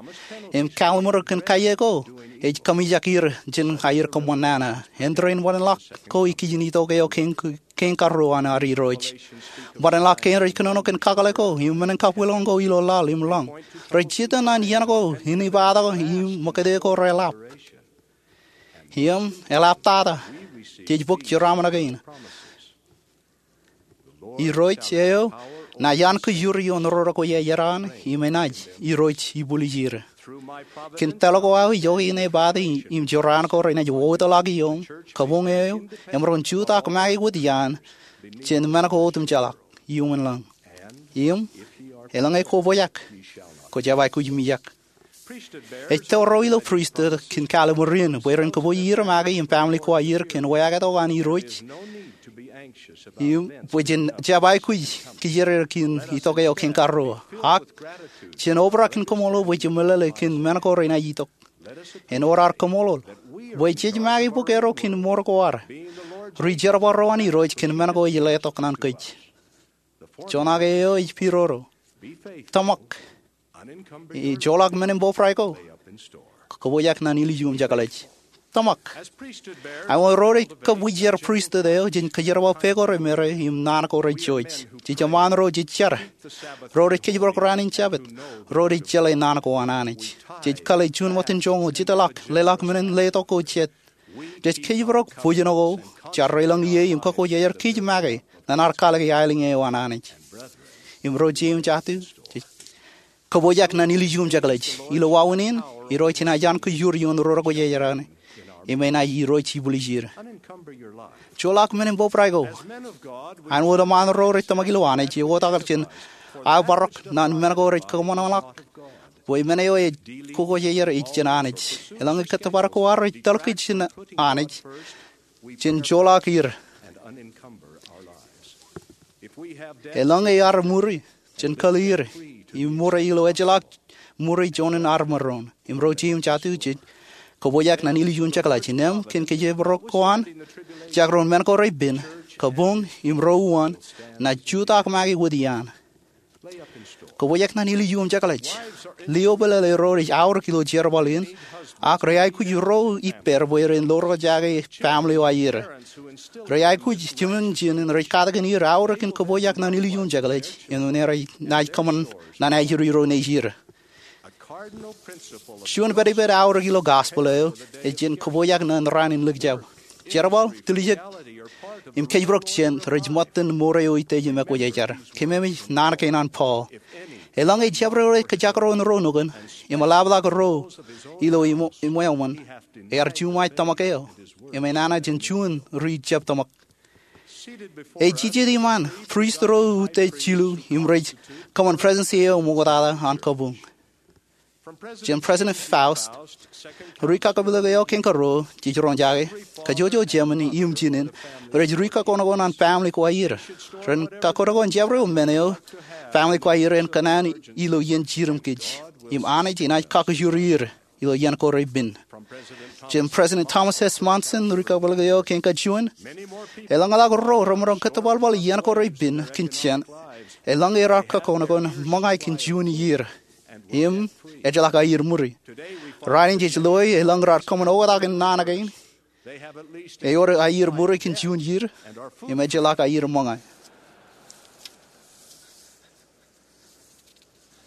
im kallimur kōn kaje ko ej kōmijak er jān aer kōṃṃan nana. Āindein bōlen ḷọk ko ikijjien itok eo kein, kein karuo an ad Irooj. Bōlen ḷọk kein rej kōnono kōn kakōḷḷe ko im men in kabwilōñ ko ilo laḷ im lōñ. Rej jitōñ ñan iien ko in ibatok im ṃōkate ko reḷap. Im eḷaptata jej bōk jeraaṃṃan kein. Irooj eo naaj an kōjur ioon ro rekwōjarjar an im enaaj Irooj ibwiljir. Kōn tōl ko aō ijoke in epād im jorrāān ko renaaj wōtḷọk ioō kabuñ eo emaroñ jutak make wōt iaan jān men ko otemjeḷọk iuṃwin lañ. Im elōñ e kōpojak, kwō jab aikuj mijak. Ej tōre ro ilo pristut kōn kallimur in bwe ren kōpooje er make im family ko aer kōn wāween an Irooj. Im bwe jen jab aikuj kijerjer kōn itok eo kein karuo. Ak jen obrak in kaṃṃoolol bwe jen meḷeḷe kōn men ko renaaj itok. Ewōr ad kaṃṃoolol bwe jej make bōk erro kōn mour ko ad ri jerbal ro an Irooj kōn men ko ej letok ñan kōj. Joñak eo ej pidodo. Tōmak. Ejjeḷọk men in bōbrae ko. Kōpojak ñan ilju im jekḷaj. Tōmak. Āinwōt ro rej kab wūjjer pristut eo, jej kōjerbal pā ko remereer im naan ko rejjoj. Jej eṃṃaan ro jej jar. Ro rej kōjparok raan in Jabōt. Ro rej jeḷā naan ko an Anij. Jej kale juon ṃōttan joñoul, jitḷọk, leḷọk men in letok ko jet. Jej kōjparok bwijin ko, jar ro elōñ ie im kōkkōjeer kōj make ñan ad kalōke aelōñ eo an Anij. Im ro jeiū im jatū, jej kōpojak ñan ilju im jekḷaj. Ilo wāween in, Irooj enaaj an kōjur ioon ro rekwōjarjar an im enaaj Irooj ibwiljir. Joḷọk men in bōbrae ko. Āinwōt eṃṃaan ro rej tōmak ilo Anij, eoktak jān aō parok ñan men ko rej kōṃanṃanḷọk bwe men eo ej kōkkōjeer ej jān Anij. Elōñ e kōttōpar ko ad rej tōl kōj jān Anij, jen joḷọk er. Elōñ e ad muri, Jen kōḷir im ṃure ilo ejjeḷọk ṃuri juon in armej ro im ro jeiū im jatū jej kōpooj ñan ilju im jekḷaj. Innām kōn kōjparok ko an jakrōn men ko repen, kabuñ im ro uwaan naaj jutak make wōt iaan. Kōpooj ñan ilju im jekḷaj. Liōpālele ro rej aorōk ilo jerbal in, ak rej aikuj ro ippāer bwe ren lorjake family eo aer. Rej aikuj jimjuon in rej katakin er aorōk in kōpooj ñan ilju im jekḷaj āinwōt naaj kōṃṃan ñan ajri ro nejier. Juon pedped aorōk ilo gospel eo ej jen kōpooj ñan raan in likjab. Jerbal, tiljek, im kōjparok jān rej ṃōttan ṃure eo utiej im ekwōjarjar. Kōmemej naan kein an Paul. Eḷaññe jabdewōt eo ej kōjakrōn ro nukun im eḷapḷọk ro ilo iṃōṃōn, ear juṃae tōmak eo im enana jān juon ri jab tōmak. Ej jijet iṃaan priest ro utiej jilu im rej kōṃṃan prestudy eo ṃoktata an kabuñ. Jān President Faust, ri kakpeḷḷọk eo kein karuo jej roñjake, kōjwōj Jemān im Jinen rej ri kakōnokon an family ko aer. Ren kakōnokon jabdewōt men eo family ko aer en kōṇaan ilo iien jidik im kōj, im Anij enaaj kakijuri er ilo iien ko repen. Jān President Thomas S. Monson, ri kakpeḷḷọk eo kein kajuon, eḷañḷọk ro remaroñ kōttepalpal iien ko repen kōn jān, eḷaññe raar kakōnokon ṃōñā kōn juon iiō im ejjeḷọk aier ṃuri. Raan in jej loe eḷaññe raar kōṃṃan oktak in naan kein, ewōr aier ṃuri kōn juon iiō im ejjeḷọk aier ṃōñā.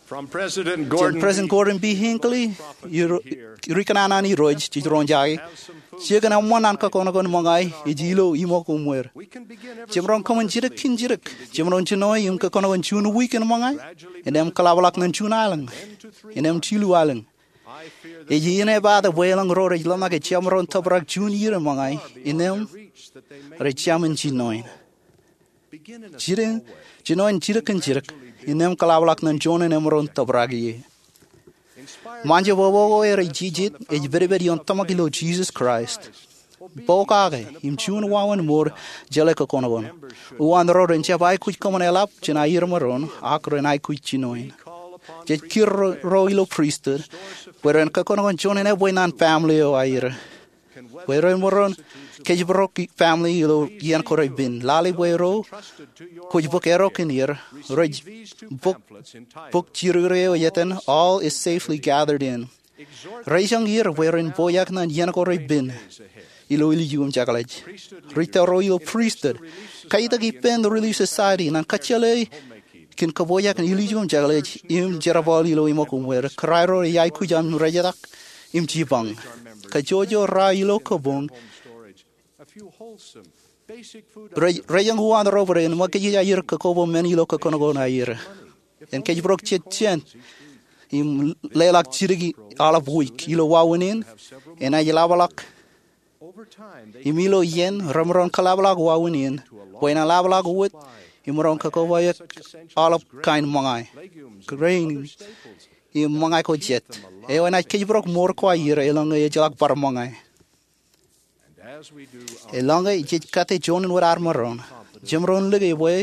Jān President Gordon B. Hinckley, ri kōṇaan an Irooj, jej roñjake, jikin eṃṃan an kakōnokon ṃōñā ej ilo iṃōk uṃwir. Jemaroñ kōṃṃan jidik kōn jidik. Jemaroñ jinoe im kakōnokon juon wiik in ṃōñā, innām kaḷapḷọk ñan juon aelōñ, innām jilu aelōñ. Ij iien epaak bwe eḷaññe ro rej ḷōmṇak ejjab maroñ tōprak juon iiō in ṃōñā, innām rej jamin jinoin. Jinoin jidik kōn jidik, innām kaḷapḷọk ñan juon in emaroñ tōprak ie. Ṃaanjab eo rej jijet ej pedped ioon tōmak ilo Jisōs Kraist. Pokake im juon wāween mour jeḷā kakōnokon. Uwaan ro ren jab aikuj kōṃṃan eḷap jān aier ṃōṇōṇō, ak ren aikuj jinoin. Jej kūr ro ilo priesthood bwe ren kakōnokon juon in ebwe ñan family eo aer, bwe ren maroñ kōjparok family ilo iien ko repen. Lale bwe ro kwōj bōk erro kōn er, rej bōk bok jidikdik eo ej etan All Is Safely Gathered In. Rej itok er bwe ren pojak ñan iien ko repen ilo ilju im jekḷaj. Ri tōro ilo priesthood, kaitak ippān Relief Society ñan kōjjeḷā kōn kōpojak in ilju im jekḷaj im jerbal ilo iṃōk uṃwir. Kōrā ro rej aikuj aṃ rejetak im jipañ. Kōjwōj ro ilo kabuñ rej, rej eñin uwaan ro bwe ren ṃōkaj aier kōkoba men ilo kakōnokon aer. En kōjparok jet jān im leḷọk jidik aolep wiik ilo wāween in, enaaj ḷapḷọk. Im ilo iien remaroñ kaḷapḷọk wāween in bwe en ḷapḷọk wōt im maroñ kōkoba eok aolep kain ṃōñā, grain, im ṃōñā ko jet, eo enaaj kōjparok mour ko aer eḷaññe ejjeḷọk bar ṃōñā. Eḷaññe jej kate juon in wōt ad maroñ, jemaroñ lōke bwe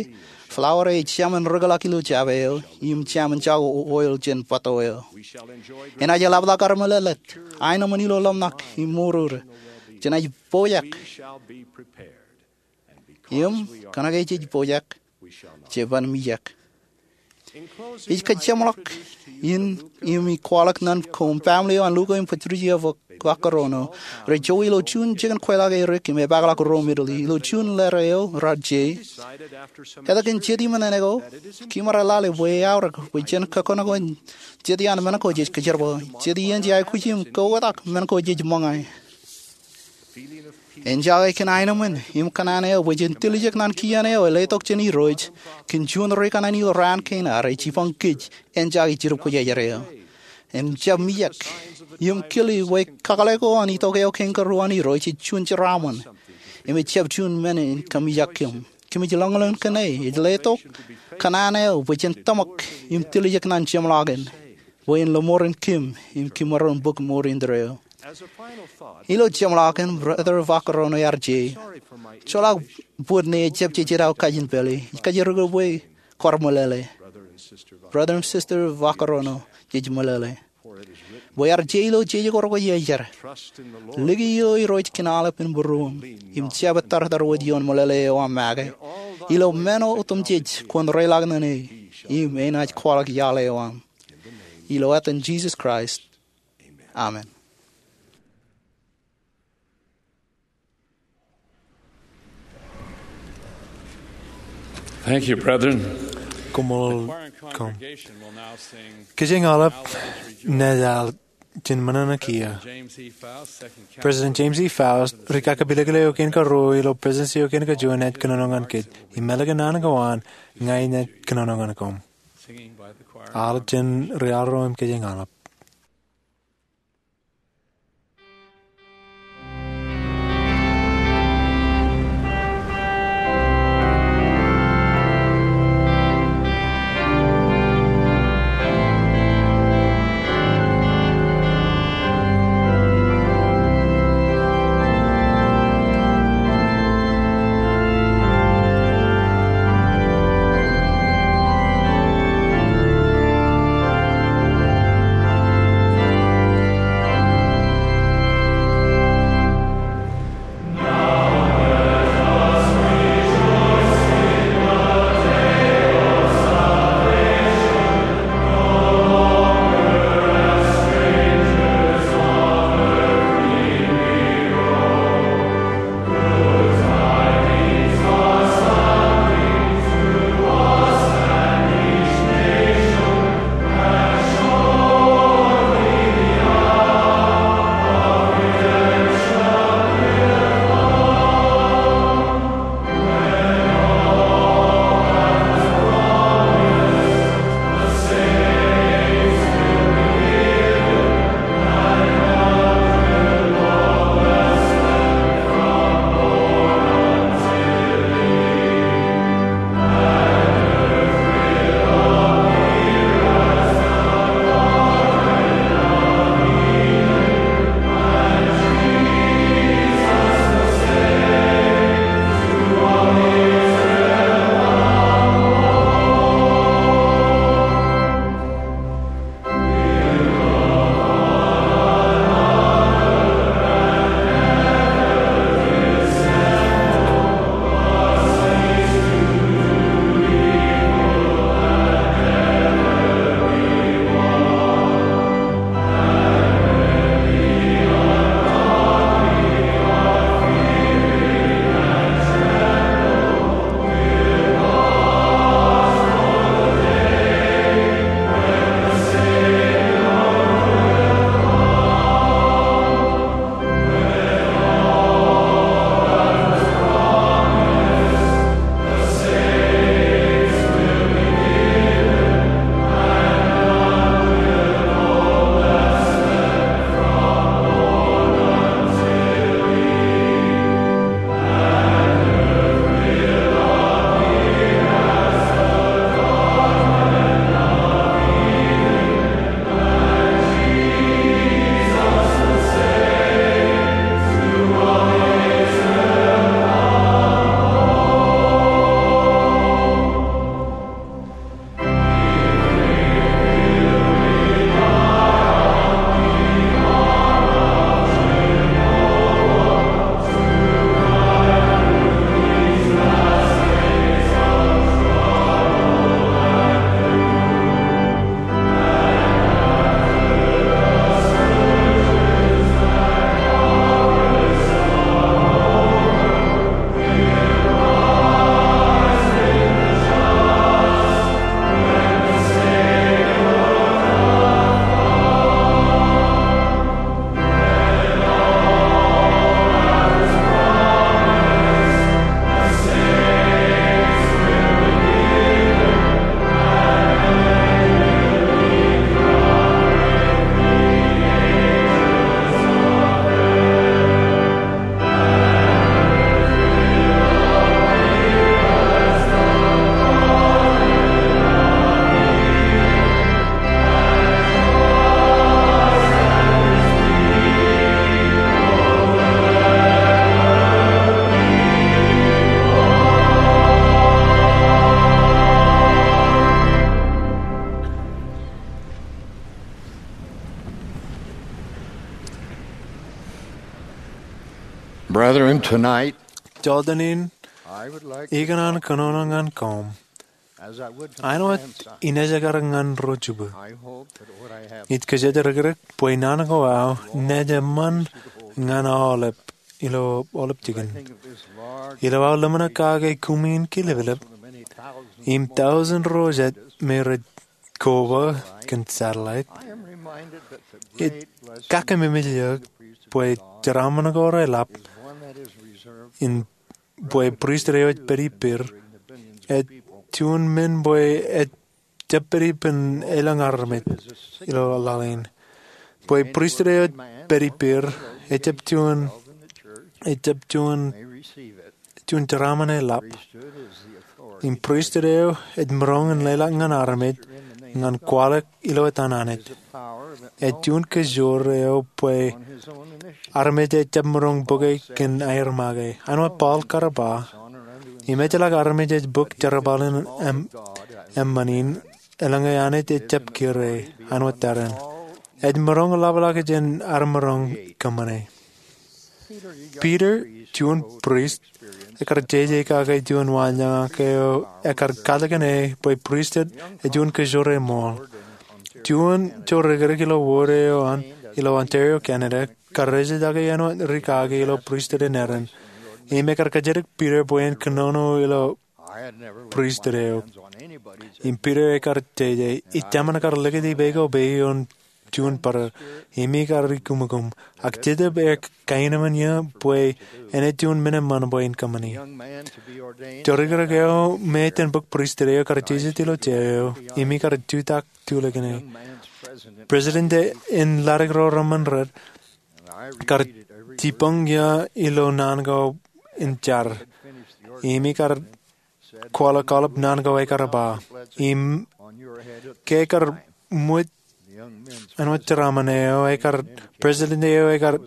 flour eo ej jamin rikḷọk ilo jabō eo im jamin jako oil jān bōtto eo. Enaaj ḷapḷọk armelelet, aenōṃṃan ilo ḷōmṇak im mour, jenaaj pojak. Im kōnke jej pojak, jeban mijak. Ij kōjeṃḷọk in im ij kwaḷọk ñan koṃ family eo an Luka im Patricia Vaccaro. Rej jowe ilo juon jikin kweilọk erik im epaakḷọk ro Italy. Ilo juon letter eo raar je, etke kōn jet iṃōn āne ko, kimaroñ lale bwe eaorōk bwe jen kakōnokon jet iaan men ko jej kōjerbal, jet iien jej aikuj im kaoktak men ko jej ṃōñā. Enjake kōn aenōṃṃan im kōṇaan eo bwe jen tiljek ñan kien eo ej letok jān Irooj kōn juon ri kōṇaan ilo raan kein ad ej jipañ kōj. Enjake Jidip Kwōjarjar eo im jab mijak im kile bwe kakōḷḷe ko an itok eo kein karuo an Irooj ej juon jeraaṃṃan im ejjab juon men in kōmijak kōm. Kōmij ḷōñḷōñ kōn e ej letok kōṇaan eo bwe jen tōmak im tiljek ñan jeṃḷọkin bwe en lọmọọren kōm im kimaroñ bōk mour indeeo. Ilo jeṃḷọkin, Brother Vaccaro ear je, joḷọk bōd ṇe ejjab jejjet aō kajin pālle. Ij kajjirere bwe kwaar meḷeḷe. Brother im Sister Vaqueriano, jej meḷeḷe. Bwe ear je ilo jeje ko rekwōjarjar. Liki ilo Irooj kōn aolep in būruōṃ im jab ettōrtar wōt ioon meḷeḷe eo aṃ make. Ilo men otemjej kwōn reiḷọk ñan e, im enaaj kwaḷọk iaḷ eo aṃ. Ilo etan Jisōs Kraist. Amen. Thank you, brethren. Koṃṃool. Kōjeañ aolep naaj al jān ṃōṇōṇō kiiō. President James E. Faust, ri-kakapilōklōk eo kein karuo ilo Presidents eo kein kajuon, enaaj kōnono ñan kōj. Im ālikin naan ko an, ña inaaj kōnono ñan koṃ. Al jān ri-arro im kōjeañ aolep. Brethren, tonight, joltenin, I would like ikōṇaan kōnono ñan koṃ āinwōt inejekar ñan ro jibwe. Ij kajjitōk bwe naan ko aō naaj eṃṃan ñan aolep ilo aolep jikin. Ilo aō ḷōmṇak kake kumi in kileplep im tọujin ro jet me rej koba kōn satellite, ij kakkememej eok bwe jeraaṃṃan ko reḷap in bwe pristut eo ej pād ippāer ej juon men bwe ejjab pād ippān elōñ armej ilo laḷ in. Bwe pristut eo ej pād ippāer ejjab juon, ejjab juon, juon jeraaṃṃan eḷap. Im pristut eo ej maroñ in leḷọk ñan armej ñan kwaḷọk ilo etan Anij. Ej juon kōjoor eo bwe armej ejjab maroñ bōke kōn aer make. Āinwōt Paul kar ba, im ejjeḷọk armej ej bōk jerbal in eṃ-, eṃṃan in, eḷaññe Anij ejjab kire āinwōt tarrin. Ej maroñ ḷapḷọk jān ad maroñ kōṃṃane. Peter, juon prist, ekar jeje kake juon waanjoñak eo ekar kajjitōk bwe pristut ej juon kōjoor eṃool. Juon jodikdik ilo wōd eo an ilo Ontario, Canada, kar ejjitōk āinwōt rikaki ilo pristut in Erin. Im ekar kajjitōk Peter bwe en kōnono ilo pristut eo. Im Peter ekar jeje, ij jemaroñ kar likūt ippāer ko peiṃ ioon juon bōro, im ikar ikūmukūm. Ak Jetōb ej kaenōṃṃan eō bwe enaaj juon men eṃṃan bwe in kōṃṃani. Jodikdik eo me ejjeḷọk bōk pristut eo kar jijet ilo jea eo, im ikar jutak tulikane. President in Laddik ro Reṃṃan Red kar jipañ eō ilo naan ko in jar. Im ikar kwaḷọk aolep naan ko ekar ba. Im ke ekar ṃōj āinwōt jeraaṃṃan eo, ekar, president eo ekar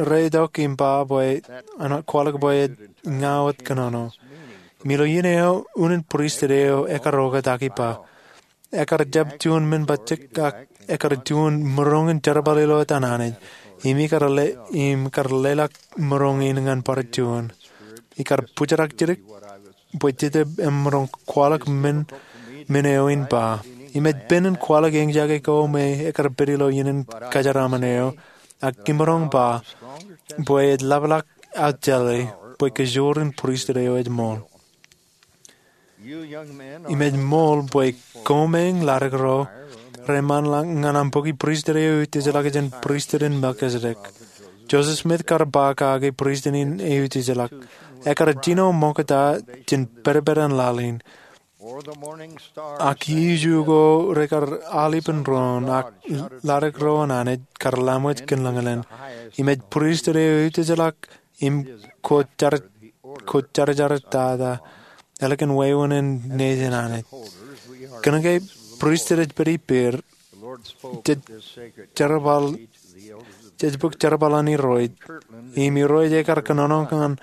reitok im ba bwe, āinwōt kwaḷọk bwe ej ña wōt kōnono. Im ilo iien eo unin pristut eo ekar oktak im ba, ekar jab juon men bajjek ak ekar juon maroñ in jerbal ilo etan Anij. Im ikar le-, im kar leḷọk maroñ in ñan bar juon. Ikar bōjrak jidik bwe Jetōb emaroñ kwaḷọk men, men eo in ba. Im ej pen in kwaḷọk eñjake ko me ekar pād ilo iien in kajeraaṃṃan eo, ak imaroñ ba bwe ej ḷapḷọk aō jeḷā bwe kōjoor in pristut eo ej ṃool. Im ej ṃool bwe koṃ eñ laddik ro reṃṃanḷọk ñan aṃ bōki pristut eo eutiejḷọk jān pristut in Melkisedek. Joseph Smith kar ba kake pristut in eutiejḷọk. Ekar jino ṃokta jān pedped an laḷ in. Ak ijo ko rekar al ippān doon, ak laddik ro an Anij kar laṃōj kōn lañlōñ. Im ej pristut eo eutiejḷọk im kwōjarjar, kwōjarjar tata ālikin wāween in nejin Anij. Kōnke pristut ej pād ippāer, jej jerbal, jej bōk jerbal an Irooj. Im Irooj ekar kōnono ñan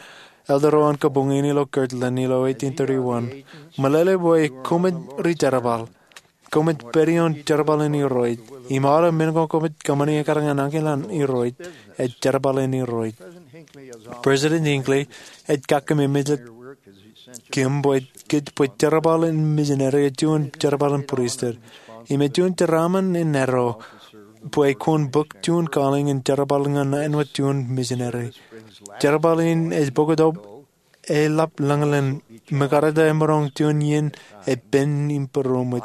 elder eo an kabuñ in ilo Kirtland ilo eighteen thirty-one. Meḷeḷe bwe koṃij ri jerbal. Koṃij pād ioon jerbal in Irooj. Im aolep men ko koṃij kōṃṃani ekar ñan ankilōk an Irooj, ej jerbal in Irooj. President Hinckley ej kakkememej kōm bwe kōj bwe jerbal in misineri ej juon jerbal in pristut. Im ej juon jeraaṃṃan in eddo bwe kwōn bōk juon calling in jerbal ñan āinwōt juon misineri. Jerbal in ej bōktok eḷap lañlōñ, mekarta emaroñ juon iien epen im būroṃōj.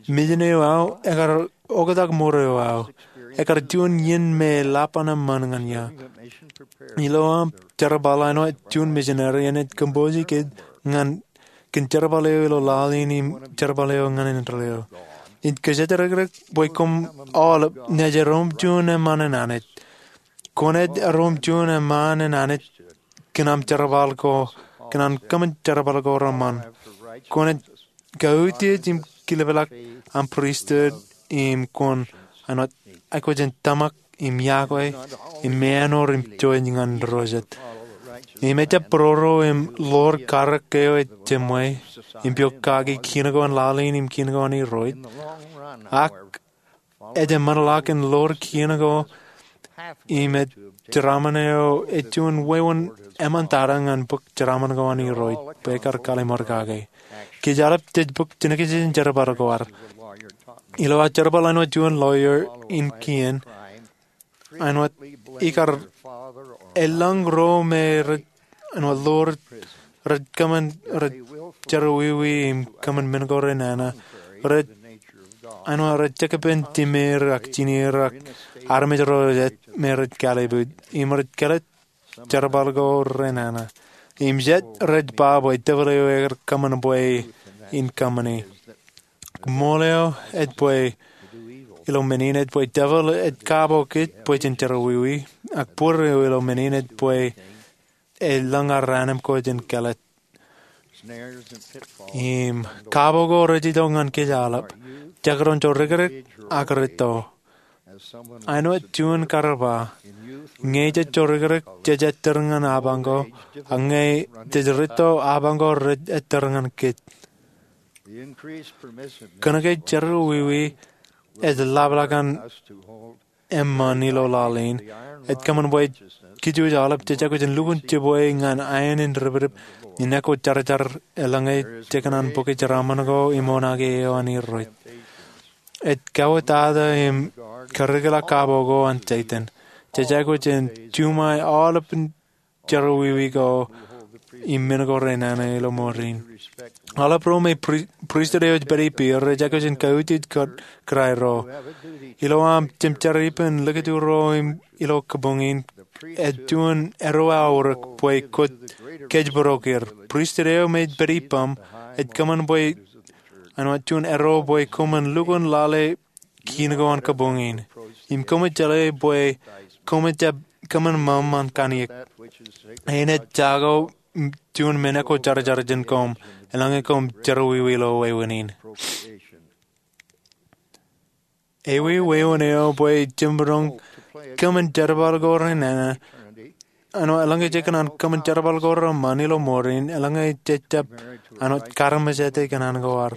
Misin eo aō ekar oktak mour eo aō. Ekar juon iien me eḷap an eṃṃan ñan eō. Ilo aṃ jerbal āinwōt juon misineri enaaj kōmpooje kōj ñan kōn jerbal eo ilo laḷ in im jerbal eo ñan indeeo. Ij kōjatdikdik bwe koṃ aolep naaj erom juon eṃṃan in Anij. Kwōnaaj erom juon eṃṃan in Anij kōn aṃ jerbal ko, kōn an kōṃṃan jerbal ko reṃṃan. Kwōnaaj kautiej im kilepḷọk aṃ pristut im kwōn āinwōt aikuj in tōmak im iakwe im ṃeanor im jouj ñan ro jet. Im ejjab būroro im ḷoor karōk eo ej jeṃwe im pok kaki kien ko an laḷ in im kien ko an Irooj. Ak ej eṃṃanḷọk in ḷoor kien ko im ej jeraaṃṃan eo ej juon wāween eṃṃan tata ñan bōk jeraaṃṃan ko an Irooj bwe ekar kallim̧ur kake. Kōj aolep jej bōk jenkōjeañ jerbal ko ad. Ilo aō jerbal āinwōt juon lawyer in kien, āinwōt ikar eḷaññe ro me rej, āinwōt ḷo rej kōṃṃan, rej jerọwiwi im kōṃṃan men ko renana, rej, āinwōt rej jekpen jimeer ak jineer ak armej ro jet me rej kalbuuj im rej kōḷḷe jerbal ko renana. Im jet rej ba bwe devil eo ekar kōṃṃan bwe in kōṃṃani. Ṃool eo ej bwe, ilo men in ej bwe devil ej kapo kōj bwe jen jerọwiwi, ak bōd eo ilo men in ej bwe eḷaññe raan im kōj in kōḷḷe. Im kapo ko rej itok ñan kōj aolep, jekdọọn jorikrek ak rūtto. Āinwōt juon kar ba, ñe jej jorikrek jej ettōr ñan apañ ko, ak ñe jej rūtto apañ ko rej ettōr ñan kōj. Kōnke jerọwiwi ej ḷapḷọk an eṃṃan ilo laḷ in, ej kōṃṃan bwe kōj aolep jej aikuj in lukkuun jibwe ñan aen in dipdip in ekwe jarjar eḷaññe jej kōṇaan bōki jeraaṃṃan ko im oṇaake eo an Irooj. Ej kauwōtata im karikōḷọk kapo ko an Setan. Jej aikuj in juṃae aolepān jerọwiwi ko im men ko renana ilo mour in. Aolep ro me pristut eo ej pād ippāer rej aikuj in kautiej kōraero. Ilo aṃ jemjeraaṃṃan likūtro ilo kabuñ in, ej juon erro aorōk bwe kwōj kōjparok er. Pristut eo me ej pād ippaṃ ej kōṃṃan bwe āinwōt juon erro bwe koṃwin lukkuun lale kiin ko an kabuñ in. Im koṃwin jeḷā bwe koṃwin jab kōṃṃan ṃōṃ an kanniōk. Āinwōt jako juon men ekwe jarjar jān koṃ eḷaññe koṃ jerọwiwi ilo wāween in. Ewi wāween eo bwe jemaroñ kōṃṃan jerbal ko renana. Āinwōt eḷaññe jej kōṇaan kōṃṃan jerbal ko reṃṃan ilo mour in, eḷaññe jej jab āinwōt karamjete kōṇaan ko ad.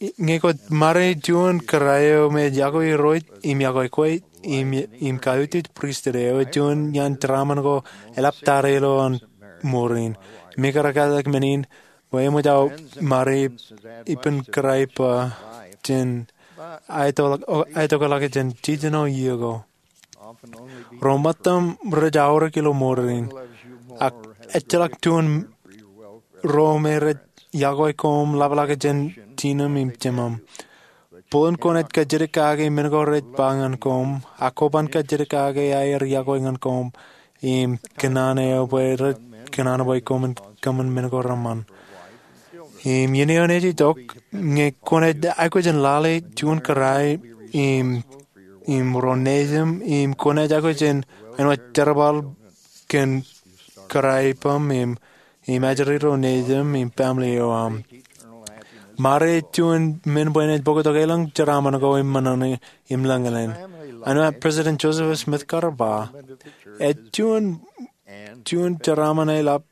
Ñe kwōj ṃare juon kōrā eo me ej yokwe Irooj im yokwe kwe im kautiej pristut eo, ej juon iaan jeraaṃṃan ko eḷaptata ilo aṃ mour in. Im ikar katak men in bwe eṃōj aō ṃare ippān kōrā ippa jān aetokḷọk jān jiljino iiō ko. Ro ṃōttan rej aorōk ilo mour in, ak ejjeḷọk juon ro me rej yokwe koṃ ḷapḷọk jān jinem im jemem. Bōlen kwōnaaj kajjitōk kake men ko rej ba ñan koṃ, ak kwō ban kajjitōk kake aer yokwe ñan koṃ im kōṇaan eo bwe rej kōṇaan bwe koṃwin kōṃṃan men ko reṃṃan. Im iien eo enaaj itok, ñe kwōnaaj aikuj in lale juon kōrā im ro nejim, im kwōnaaj aikuj in āinwōt jerbal kōn kōrā ippaṃ im, im ajri ro nejim im family eo aṃ. Ṃare ej juon men bwe enaaj bōktok elōñ jeraaṃṃan ko im ṃōṇōṇō im lōñlōñ. Āinwōt President Joseph Smith kar ba, ej juon, juon jeraaṃṃan eḷap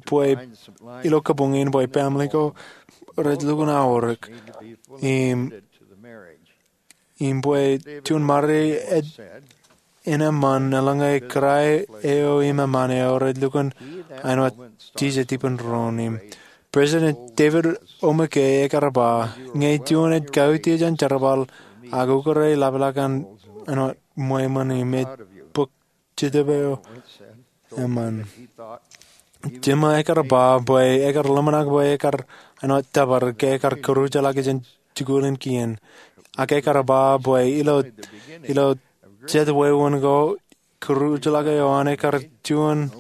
bwe ilo kabuñ in bwe family ko rej lukkuun aorōk im, im bwe juon ṃare ej enaaj eṃṃan eḷaññe kōrā eo im eṃṃaan eo rej lukkuun āinwōt jijet ippān doon. Im President David O. McKay ekar ba, ñe juon ej kautiej an jerbal ak ukōte ḷapḷọk an āinwōt ṃweiṃōn im ej bōk Jetōb eo eṃṃan. Jema ekar ba bwe ekar ḷōmṇak bwe ekar āinwōt tōpar ke ekar kūrjilọk jān jikuuḷ in kien. Ak ekar ba bwe ilo, ilo jet wāween ko kūrjilọk eo an ekar juon,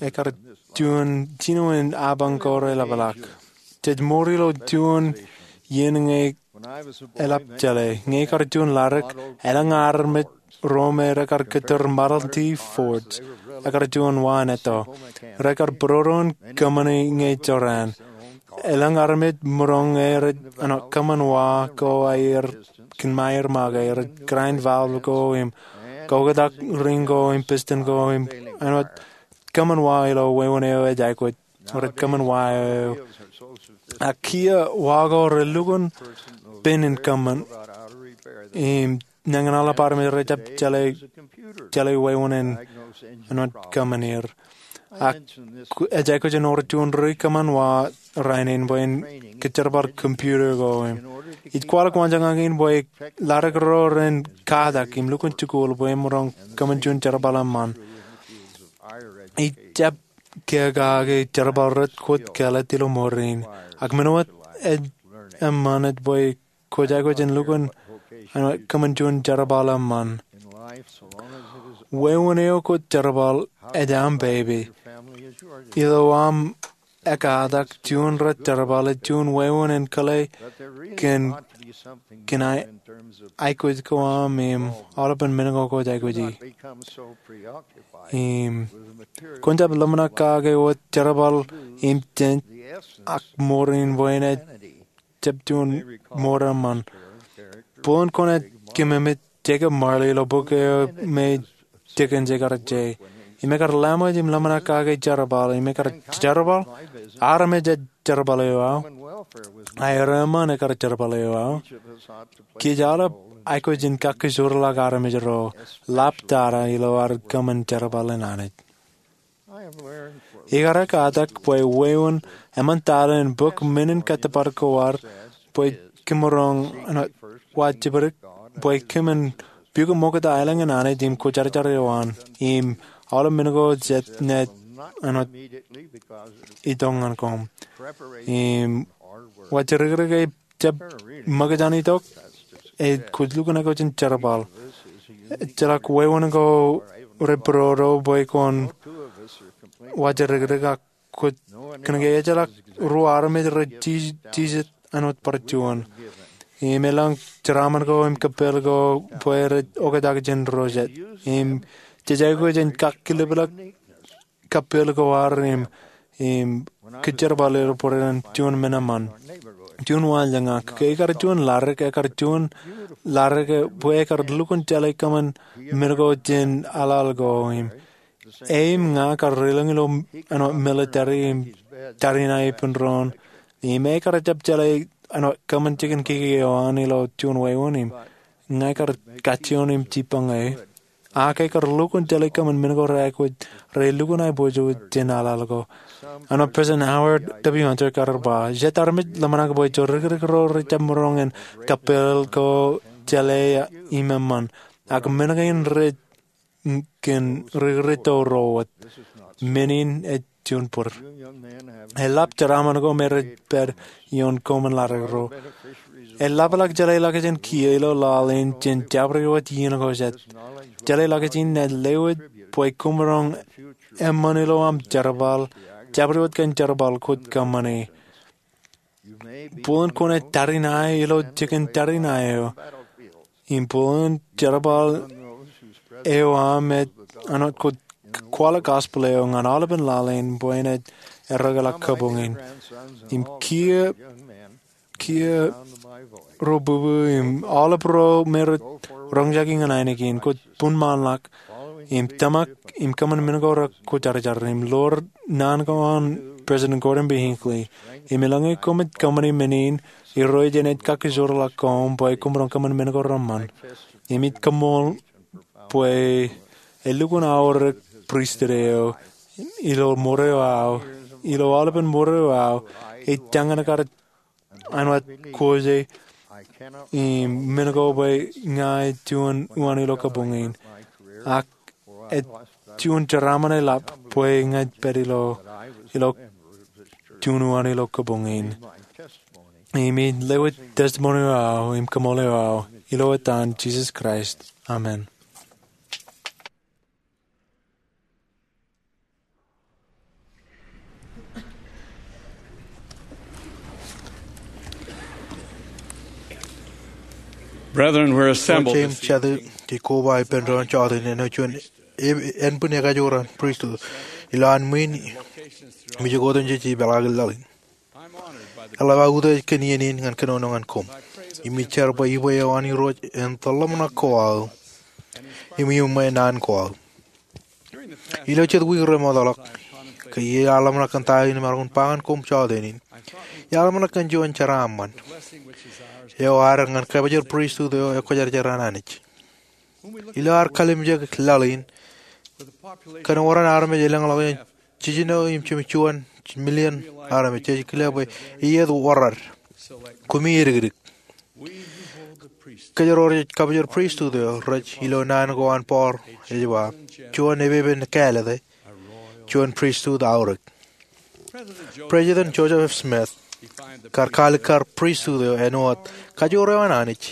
ekar juon jinoin apañ ko reḷapḷọk. Jej mour ilo juon iien ñe eḷap jeḷā. Ñe ikar juon ladik, elōñ armej ro me rekar kūtōr Model T Fords, ekar juon wa en etto. Rekar būrodo in kōṃṃani ñe jorrāān. Elōñ armej maroñ rej kōṃṃan wa ko aer kōn ṃaer make, rej grind valve ko im koketak ring ko im piston ko im āinwōt kōṃṃan wa ilo wāween eo ej aikuj. Rej kōṃṃan wa eo. Ak kiiō wa ko rej lukkuun pen in kōṃṃan im nañinmej aolep armej rej jab jeḷā, jeḷā wāween āinwōt kōṃṃan er. Ak ej aikuj in wōr juon ri kōṃṃan wa rainin bwe en kōjerbal computer ko im ij kwaḷọk waanjoñak in bwe ḷaddik ro ren katak im lukkuun jikuuḷ bwe emaroñ kōṃṃan juon jerbal eṃṃan. Ij jab kōkake jerbal rej kōt kāālōt ilo mour in. Ak men wōt ej eṃṃan ej bwe kwōj aikuj in lukkuun kōṃṃan juon jerbal eṃṃan. Wāween eo kwōj jerbal ej aṃ baby. Ilo aṃ ekkatak, juon rej jerbal ej juon wāween in kōḷḷā kōn, kōn aikuj ko aṃ im aolepen men ko kwōj aikuji. Im kwōn jab ḷōmṇak kake wōt jerbal im jen ak mour in bwe en ej jab juon mour eṃṃan. Bōlen kwōnaaj kōmemej Jacob Marley ilo bok eo me Dickens ekar je. Im ekar laṃōj im ḷōmṇak kake jerbal, im ekar jerbal, armej ej jerbal eo aō. Aer eṃṃan ekar jerbal eo aō. Kōj aolep aikuj in kakkōjorḷọk armej ro, ḷap tata ilo ad kōṃṃan jerbal in Anij. Ikar ekkatak bwe wāween eṃṃan tata in bōk men in kōttōpar ko ad bwe kōmaroñ, āinwōt, wa jibdik bwe kōmin pukot ṃokta aelōñ in Anij im kwōjarjar eo an im aolep men ko jet naaj, āinwōt, itok ñan koṃ. Im wa jidikdik e jab ṃōkaj an itok, ej kwōj lukkuun aikuj in jerbal. Ejjeḷọk wāween ko rej pād ro bwe kwōn wa jidikdik ak kwōj kōnke ejjeḷọk ruo armej rej jijet, āinwōt, bar juon. Im elōñ jeraaṃṃan ko im kōppāl ko bwe rej oktak jān ro jet. Im jej aikuj in kakkilipḷọk kōppāl ko ad im, im kōjerbal er bwe ren juon men eṃṃan. Juon waanjoñak ke ikar juon ḷaddik, ekar juon ḷaddik bwe ekar lukkuun jeḷā kōṃṃan men ko jān aḷaḷ ko im e im ña kar lelōñ ilo, āinwōt, military im tariṇae ippān doon. Im ekar jab jeḷā, āinwōt, kōṃṃan jikin kiki eo an ilo juon wāween im ña kar kajjioñ im jibbañ e. Ak ekar lukkuun jeḷā kōṃṃan men ko rej aikuj, rej lukkuun aiboojoj jān aḷaḷ ko. Āinwōt President Howard W. Hunter ekar ba, jet armej ḷōmṇak bwe jodikdik ro rej jab maroñ in kōppāl ko jeḷā im eṃṃan. Ak men kein rej kōn rikirjitōk ro wōt. Men in ej juon bōd. Eḷap jeraaṃṃan ko me rej pād ioon koṃwin ḷaddik ro. Eḷapḷọk jeḷā ḷọkjeṇ kiiō ilo laḷ in jān jabdewōt iien ko jet. Jeḷā ḷọkjeṇ in ej lewōj bwe koṃ maroñ eṃṃan ilo aṃ jerbal, jabdewōt kōn jerbal kwōj kōṃṃane. Bōlen kwōnaaj tariṇae ilo jikin tariṇae eo. Im bōlen jerbal eo aṃ ej, āinwōt, kwōj kwaḷọk gospel eo ñan aolepen laḷ in bwe enaaj errōkḷọk kabuñ in. Im kiiō, kiiō ro bubu im aolep ro me rej roñjake ñan ainikien, kwōj buñmaanḷọk im tōmak im kōṃṃan men ko rekwōjarjar im ḷoor naan ko an President Gordon B. Hinckley. Im eḷaññe koṃij kōṃṃane men in, Irooj enaaj kakkōjorḷọk koṃ bwe koṃ maroñ kōṃṃan men ko reṃṃan. Im ij koṃṃool bwe elukkuun aorōk pristut eo ilo mour eo aō, ilo aolepen mour eo aō, ej jañin kar āinwōt kōjwōj im men ko bwe ña ij juon uwaan ilo kabuñ in. Ak ej juon jeraaṃṃan eḷap bwe ña ij pād ilo, ilo juon uwaan ilo kabuñ in. Im ij lewōj testimony eo aō im koṃṃool eo aō ilo etan Jisōs Kraist. Amen. Brethren, we're assembled this evening. Jej koba ippān doon jọteen āinwōt juon ānbwin ekajoor an pristut ilowaan ṃwiin im ijoko otemjej ipeḷaakin laḷ in. Eḷap aō utiej kōn iien in ñan kōnono ñan koṃ. Im ij jar bwe ippān eo an Irooj en tōḷaṃōṇak ko aō im iuṃwin naan ko aō. Ilo jet wiik remootḷọk, ke iar ḷōmṇak kōn ta in im maroñ in ba ñan koṃ jọteen in, iar ḷōmṇak kōn juon jeraaṃṃan eo ad ñan kōpojor pristut eo ekwōjarjar an Anij. Ilo ad kalimjek laḷ in, kōn wōr an armej elōñḷọk jān jiljino im jimjuon million armej, jej kile bwe eiet wōrrād. Koṃij edik. Kōjro rej kabōjor pristut eo rej ilo naan ko an Paul ej ba, juon epepen kāālōt, juon pristut aorōk. President Joseph F. Smith kar kaalikkar pristut eo āinwōt kajoor eo an Anij,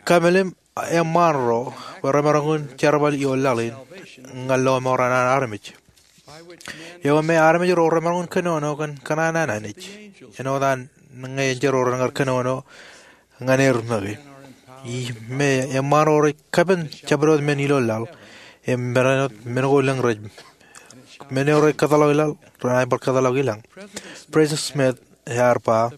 kamelim eṃṃaan ro bwe remaroñ in jerbal ioon laḷ in ñan lọmọọr an armej, eo me armej ro remaroñ in kōnono kōn kōṇaan an Anij, āinwōt an ñe ejjeḷọk ren kar kōnono ñan er make. Im eṃṃaan ro rej kapen jabdewōt men ilo laḷ, im men ko lōñ rej, men eo rej kōtḷọk ilaḷ renaaj bar kōtḷọk ilañ. President Smith ear ba,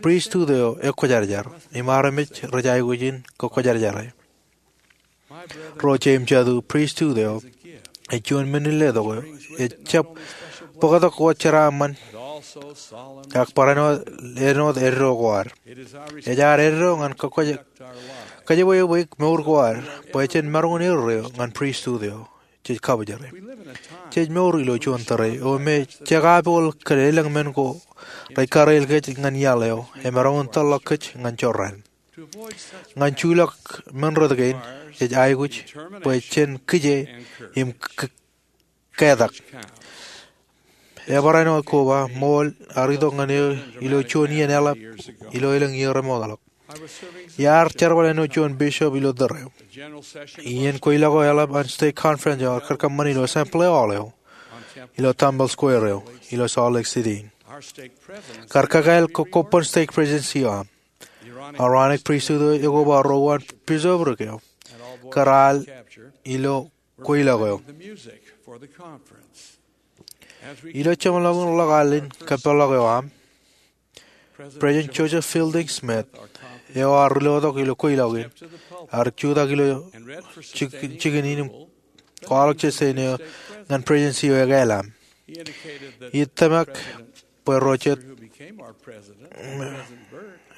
pristut eo ekwōjarjar, im armej rej aikuj in kwōjarjare. Ro jeiū im jatū, pristut eo ej juon men in letok eo ejjab bōktok wōt jeraaṃṃan, ak barāinwōt āinwōt eddo ko ad. Ej ad eddo ñan kōjepwe eok mour ko ad bwe jen maroñ in erreo ñan pristut eo jej kabōjore. Jej mour ilo juon tōre eo me jekapooḷ kōn elōñ men ko rej kariel kōj ñan iaḷ eo, im maroñ in tōlḷọk kōj ñan jorrāān. Ñan juḷọk men rot kein, ej aikuj bwe jen kije im ketak. Ebarāinwōt koba ṃool ear itok ñan eō ilo juon iien eḷap ilo elōñ iiō remootḷọk. Iar jerbal āinwōt juon bishop ilo tōre eo. Iien kweilọk eo eḷap an stake conference eo ear kōṃṃane ilo assembly hall eo ilo Temple Square eo ilo Salt Lake City. Kar kakāāl kōbban stake presidency eo aṃ. Aaronic pristut eo ekoba ro uwaan bishopric eo kar al ilo kweilọk eo. Ilo jeṃḷọkin ḷọk al in kōpeḷḷọk eo aṃ, President Joseph Fielding Smith, eo ear ri-lotok ilo kweilọk in, ear jutak ilo jikin in im kwaḷọk jān eo ñan presidency eo ekāāl aṃ. Ij tōmak bwe ro jet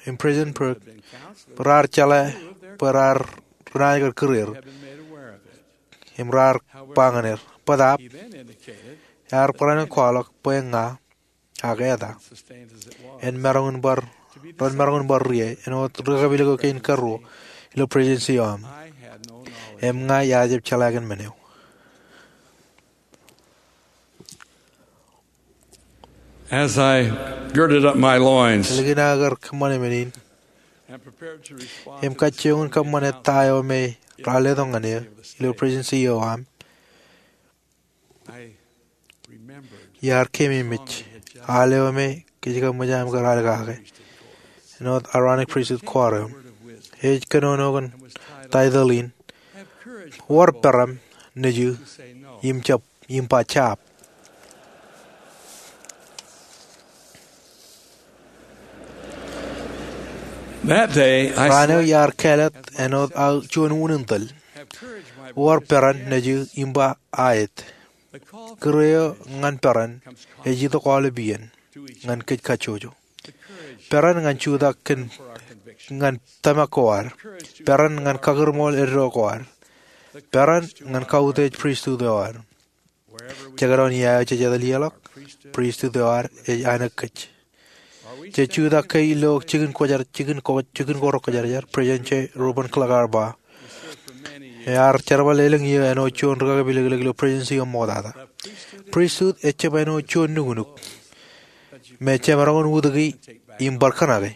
im President Berg raar jeḷā bwe raar renaaj kar kūr er im raar ba ñan er. Bōtaab, ear barāinwōt kwaḷọk bwe ña ak eta en maroñ in bar, ren maroñ in bar ri-iiō āinwōt rikaki eo kein karuo ilo presidency eo aṃ. Im ña ij jab jeḷā kōn men eo. As I girded up my loins, Ālikin aō kar kōṃṃane men in im kajjioñ in kōṃṃane ta eo me raar letok ñan eō ilo presidency eo aṃ, iar keememej al eo me kōj kōṃṃan aṃ kar al kake, āinwōt Aaronic pristut kwaar eo. Ej kōnono kōn taitōḷ in, Wōr Peran Nejū im Jab, im ba Jab. That day, I Raan eo iar kāālōt āinwōt aō juon unin tōl. Wōr Peran Nejū im ba Aet. Kūr eo ñan peran ej itok aolepān ñan kōj kajjojo. Peran ñan jutak kōn, ñan tōmak ko ad. Peran ñan kakūrṃool eddo ko ad. Peran ñan kautiej pristut eo ad. Jekdọọn iiō jej etal ḷọk, pristut eo ad ej āinwōt kōj. Jej jutak ke ilo jikin kwōjarjar, jikin ko, jikin ko rekwōjarjar, President J. Reuben Clark ear ba, ear jerbal elōñ iiō āinwōt juon rikaki pilōklōk ilo presidency eo ṃoktata. Pristut ejjab āinwōt juon nuknuk me jemaroñ in utiki im bar kōṇaki.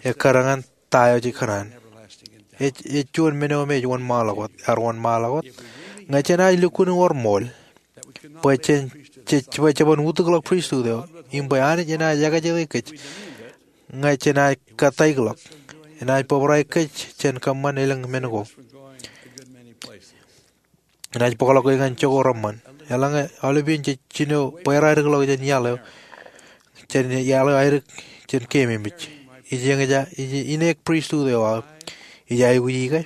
Ekkar ñan ta eo jej kōṇaan. Ej, ej juon men eo me ej wōnṃaanḷọk wōt, ear wōnṃaanḷọk wōt. Ñe jenaaj lukkuun wōr ṃool bwe jen, jej, bwe jeban utikḷọk pristut eo im bwe Anij enaaj ekajet kōj ñe jenaaj kataikḷọk, enaaj bōbrae kōj jān kōṃṃan elōñ men ko. Enaaj bōkḷọk kōj ñan jokwe reṃṃan. Eḷaññe aolepān jej jino bwe raar edik ḷọk jān iaḷ eo, jān iaḷ eo aerōk jān keememej. Ij eñjake, ij, ineek pristut eo aō. Ij aikuji ke?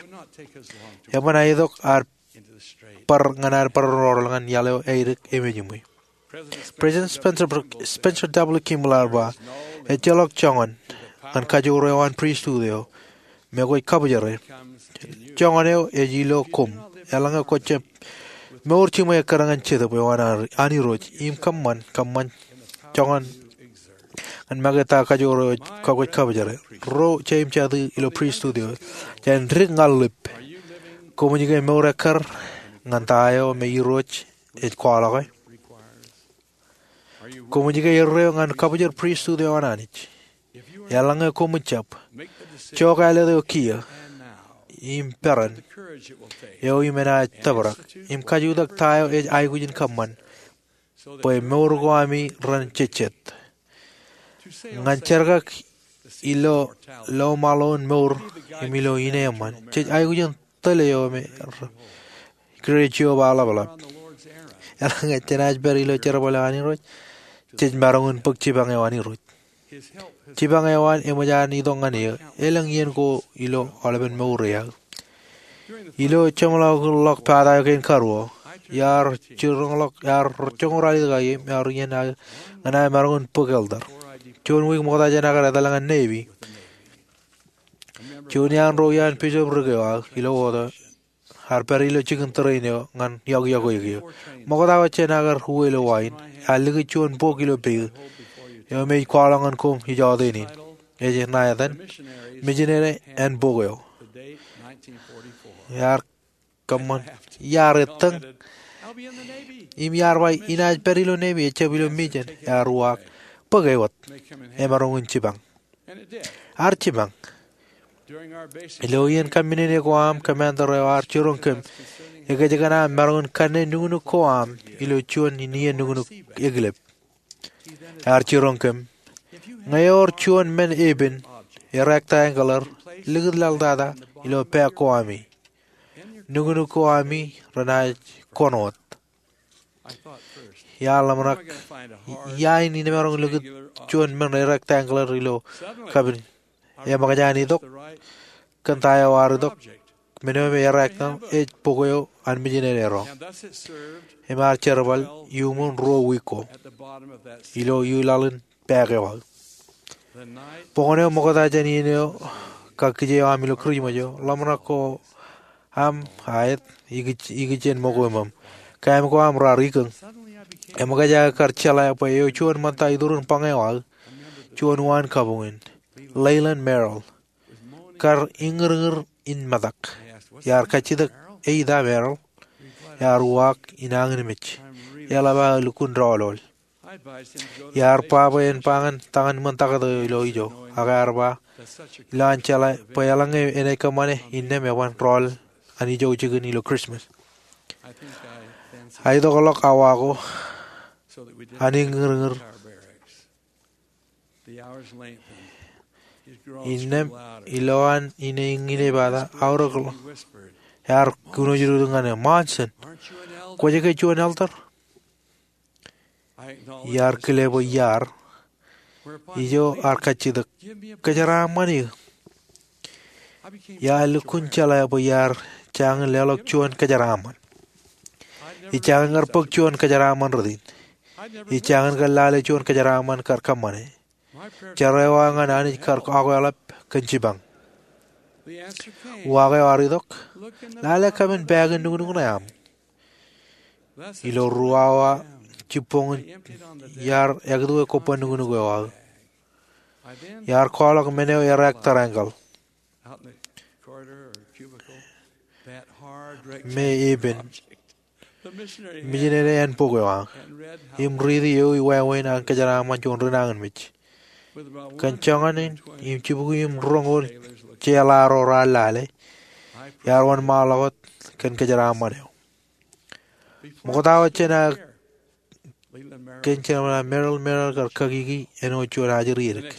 Eban aetok ad bar ñan ad bar roñoul ñan iaḷ eo aerōk emejiṃwe. President Spencer, Spencer W. Kimball ear ba, ejjeḷọk joñan ñan kajoor eo an pristut eo me kwōj kabōjere. Joñan eo ej ilo koṃ, eḷaññe kwō jab mour jiṃwe ekkar ñan Jetōb eo an Irooj im kōṃṃan, kōṃṃan joñan ñan make ta kajoor eo kwōj kabōjere. Ro jeiū im jatū ilo pristut eo jān dik ñan ḷap, koṃij ke mour ekkar ñan ta eo me Irooj ej kwaḷọke? Koṃij ke erreo ñan kabōjor pristut eo an Anij? Eḷaññe koṃij jab, jokālōt eo kiiō im peran eo im enaaj tōprak im kajutak ta eo ej aikuj in kōṃṃan bwe mour ko ami ren jejjet. Ñan jerkak ilo lọmọọr in mour im ilo ineeṃṃan, jej aikuj in tōl eo me Kiiō Jeova eḷapḷap. Eḷaññe jenaaj pād ilo jerbal eo an Irooj, jej maroñ in bōk jipañ eo an Irooj. Jipañ eo an eṃōj an itok ñan eō, elōñ iien ko ilo aolepen mour eo aō. Ilo jeṃḷọkin ḷọk pata eo kein karuo, iar jiroñḷọk, iar joñoul ralitōk aō im iar iien aō ñan aō maroñ in bōk elder. Juon wiik ṃokta jān aō kar etal ñan Navy, juon iaan ro iaan bishopric eo aō ilo Oto ear pād ilo jikin tōrein eo ñan iọkiọkwe eō. Ṃokta wōt jān aō kar uwe ilo wa in, ear likūt juon bok ilo peiū eo me ij kwaḷọk ñan koṃ ijọteen in. Ej ṇa etan Missionary Handbook eo. Ear kōṃṃan, iar ettōñ im iar ba inaaj pād ilo Navy, ejjab ilo mission. Ear uwaak, bōk e wōt. Emaroñ in jipañ. Ear jipañ. Ilo iien kaṃṃinene ko aṃ, commander eo ear jiroñ kōm ekōjkan aṃ maroñ in kanne nuknuk ko aṃ ilo juon iien nuknuk ekilep. Ear jiroñ kōm, ñe ewōr juon men epen, erectangular, likūt laḷ tata ilo bag ko ami, nuknuk ko ami renaaj kōn wōt. Iar ḷōmṇak, ia in inemaroñ likūt juon men rectangular ilo kapin? Eṃōkaj an itok, kōn ta eo ear itok, men eo me erectangular ej bok eo an Missionary Errọ. Im ear jerbal iuṃwin ruo wiik ko ilo iuḷaḷ in bag eo aō. Boñōn eo ṃokta jān iien eo kakkije eo aṃ ilo Kūrijṃōj eo, ḷōmṇak ko aṃ aet, ikijjien ṃōko iṃōṃ. Kaim ko aṃ raar ikōñ. Eṃōkaj aō kar jeḷā bwe eo juon ṃōtta iturin bañe eo aō, juon uwaan kabuñ in, Leland Merrill, kar iññirñir in metak. Iar kajjitōk, "Eita, Merrill?" Ear uwaak, "Inañinmej. Eḷap aō lukkuun doḷoḷ." Iar ba bwe en ba ñan ta ñan ṃōn taktō eo ilo ijo, ak ear ba, ilo an jeḷā bwe eḷaññe enaaj kōṃṃane, innām eban doḷ an ijo jikin ilo Christmas. Aitok ḷọk awa ko an iññirñir. Innām ilowaan ine iññinepata aorōk ḷọk, ear kōnoojdudu ñan e, "Monson, kwōj ke juon elder?" Iar kile bwe iar. Ijo ear kajjitōk, "Kōjeraaṃṃan eō." Iar lukkuun jeḷā bwe iar jañin leḷọk juon kōjeraaṃṃan. Ij jañin kar bōk juon kōjeraaṃṃan rot in. Ij jañin kar lale juon kōjeraaṃṃan kar kōṃṃane. Jerā eo aō ñan Anij kar akwāḷap kōn jipañ. Uwaak eo ear itok, "Lale kōmin bag in nuknuk ṇe aṃ." Ilo ruo awa jibboñōn iar ekwe kobban nuknuk eo aō. Iar kwaḷọk men eo erectangular me epen, Missionary Handbook eo aō, im riiti ewi wāween an kōjeraaṃṃan juon ri nañinmej. Kōn joñan in im jibukwi im roñoul jeḷā ro raar lale, iar wōnṃaanḷọk wōt kōn kōjeraaṃṃan eo. Ṃokta wōt jān aō kōn jān Merrill, Merrill kar kakiki āinwōt juon ajri edik.